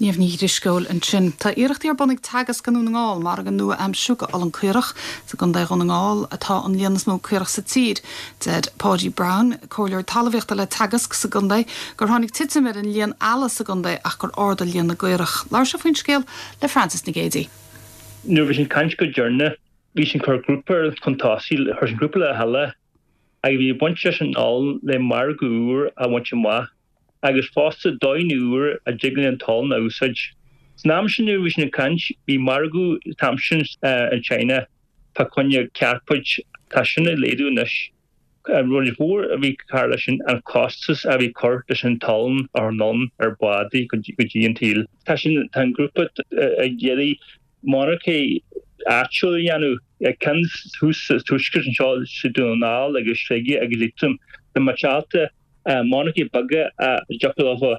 Niamh Ní Dhrisceoil ansin. Tá iarrachtaí ar bun ag Teagasc i nDún na nGall margadh nua a aimsiú do olann caorach sa gContae Dhún na nGall atá an líon is mó caorach sa tír. Deir Páidí Brown, comhairleoir talmhaíochta le Teagasc sa gcontae, gur tháinig titim ar an líon eala sa gcontae ach gur ardaigh líon na gcaorach. Labhair sé faoin scéal le Francis Nic Géadaigh. Nuair bhí sin caint go deireanach bhí sin cur grúpa chun tosaigh chuir sin grúpa le chéile agus bhí baint leis an olann le margadh úr a bhaint amach agus fosta dóigh úr a dtig an t-olann a úsáid. San am sin nuair bhí sin ag caint bhí margadh an t-am sin in China fá choinne cairpéid tá sin ag laghdú anois. An rud mhór a bhí car leis sin an costas a bhí cur leis an t-olann a chur anonn ar bhádaí go dtí an tír. Tá sin tá an grúpa ag iarraidh monarcha áitiúil a dhéanamh ceann thuas sa tuaisceart anseo sa Dún na nGall agus Sligeach agus Liatroim. Tá muid ábalta monarcha beaga a dtiocfadh leo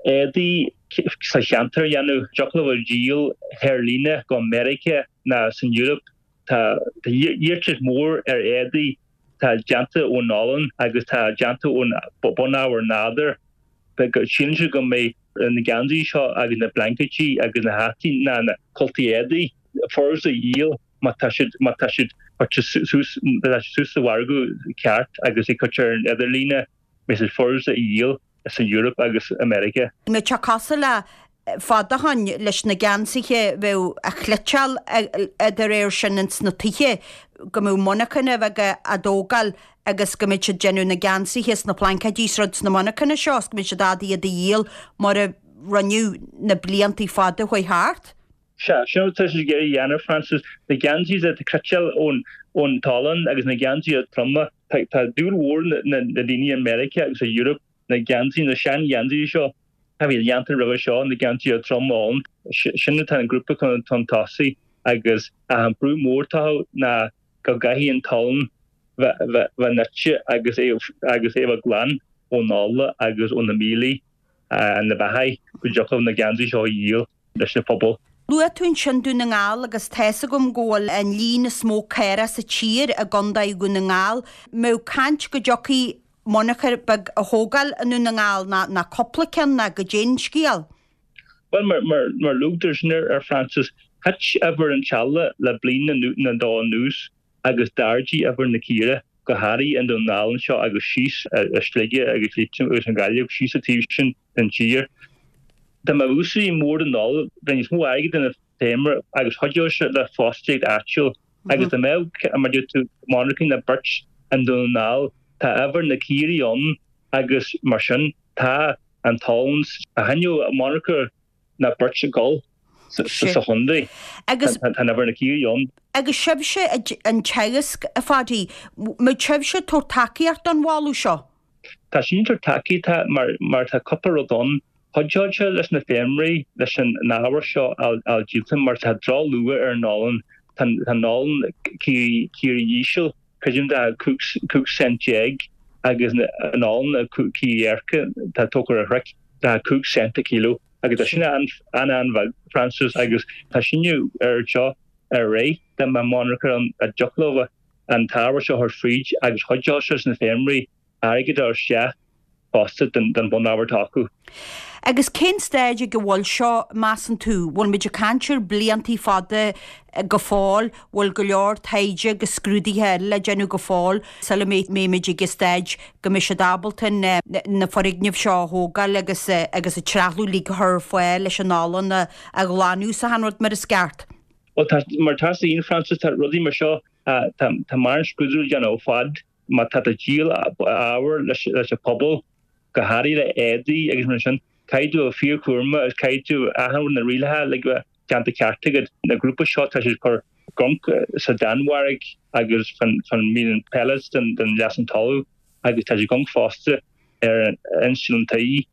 éadaí sa cheantar a dhéanamh, dtiocfadh leo díol ar líne go Meiriceá ná san Eoraip. Tá iarratas mór ar éadaí tá déanta ón olann agus tá déanta ón bunábhar nádúr. Síleann siad go mbeidh na geansaí seo agus na blaincéidí agus na hataí ná na cultaí éadaí furasta a dhíol má tá siad má tá siad curtha suas má tá siad suas sa mhargadh ceart agus ag curtha ar an idirlíne beidh siad furasta a dhíol san Eoraip agus America. Mbeadh sé cosúil le fad ó shoin leis na geansaithe bheadh a chniotáil de réir sin ins na tithe go mbeadh monarchana bheaga á dtógáil agus go mbeadh siad déanamh na geansaithe is na plaincéidí is rud sna monarchana seo is go mbeadh siad ábalta iad a dhíol mar a rinneadh na blianta fada a chuaigh thart. Sea, sin atá siad ag iarraidh a dhéanamh, Francis. Na geansaithe atá cniotáilte ón ón t-olann agus na geansaithe troma. Tá tá dúil mhór na na daoine i Meiriceá agus i Europe na geansaithe, na sean-gheansaithe seo a bhí déanta roimhe seo, na geansaithe trom olann. Sin atá an grúpa chun chun tosaigh agus an brú mór atá ná go gcaithfidh an t-olann bheith bheith bheith nite agus é agus é bheith glan ón ola agus ó na míoltóga na beathaigh go dtiocfadh na geansaithe seo a dhíol leis na pobal. Luaigh tú ansin Dún na nGall agus tá's agam go bhfuil an líon is mó caorach sa tír i gContae Dhún na nGall. Mbeadh caint go dtiocfaidh monarcha beag a thógáil i nDún na nGall ná ná cúpla ceann ná goidé an scéal? Bhuel mar mar mar luaigh tú sin ar Francis, thit uimhir an t-eala le bliain nó dhó anuas agus d'ardaigh uimhir na caora go háirithe i nDún na nGall anseo agus síos i Sligeach agus Liatroim agus an Ghaillimh síos sa taobh sin den tír. Dá mbeadh úsáid mór den olann, bheadh níos mó airgid feirmeoir agus chuideodh sé le fostaíocht áitiúil agus dá mbeadh, mar a deir tú, monarcha nó beirt i nDún na nGall, tá ábhar na caoirigh ann agus mar sin tá an t-olann a choinneodh monarcha nó beirt ag dul sa chontae. Agus. Tá an ábhar na caoirigh ann. Agus sibhse an Teagasc, a Pháidí, mbeidh sibhse ag tabhairt tacaíocht don mholadh seo? Tá sinn ag tabhairt tacaíocht mar mar tá cúpla rud ann. Chuideodh sé leis na feirmeoirí leis an ábhar seo a fháil díolta mar tá drochluach ar an olann. Tá an olann caoirigh íseal, creidim tá cúig cent déag agus an olann caoirigh earca tá tógtha ar throic, tá cúig cent an kilo agus tá sin an-an-bheag, Frances, agus tá síneadh ar seo ar aghaidh dá mbeadh monarcha ann a dtiocfadh leo an t-ábhar seo a chur fríd agus chuideodh sé leis na feirmeoirí airgead a chur isteach fosta den bunábhar atá acu. Agus cén staid ag a bhfuil seo, measann tú? Bhfuil muid ag caint ar bliantaí fada go fóill? Bhfuil go leor taighde agus scrúduithe eile le déanamh go fóill sula mbeimid ag an staid go mbeidh siad ábalta na foirgnimh seo a thógáil agus agus an trealamh uilig a chur ar fáil leis an olann a ghlanadh is achan rud mar is ceart? Bhuel, tá, mar tá a fhios againn, Frances, tá rudaí mar seo, tá tá mórán scrúdú le déanamh ar fad. Má tá tú ag díol ábhair leis an pobal, go háirithe le éadaí agus mar sin, caithfidh tú a bheith fíorchúramach agus caithfidh tú achan rud na rialacha uilig a bheith déanta ceart agat. Na grúpa seo tá siad ag cur gonc sa Danmhairg agus fan mbíonn pellets den leasú talamh agus tá siad gonc fosta ar an instealladh an tí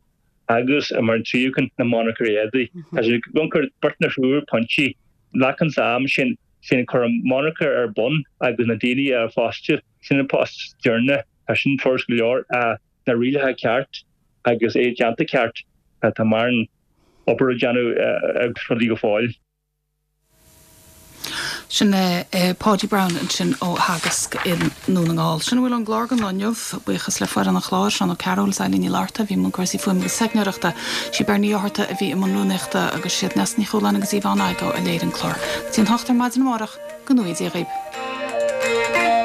agus mar an tríú ceann na monarcha éadaí. Tá siad gonc ar beirt nó thriúr pointí. Glacann am sin sin cur an monarcha ar bun agus na daoine a fhostú. Sin an post deireanach, tá sin furast go leor, na rialacha ceart agus é déanta ceart, tá mórán obair le déanamh agus rudaí go fóill. Sin é Páidí Browne ansin ó Theagasc i nDún na nGall. Sin a bhfuil ón gclár don lá inniu. Buíochas le foireann an chláir, Seán Ó Cearúil is Eilín Ní Fhlatharta a bhí i mbun cúrsaí fuaime agus teicneoireachta. Sí Beirní Ní Fhátharta a bhí i mbun rúnaíochta agus siad Neasa Ní Chualáin agus Yvonne Igoe a léirigh an clár. Go dtí an hocht ar maidin amárach, go ngnóthaí Dia dhaoib.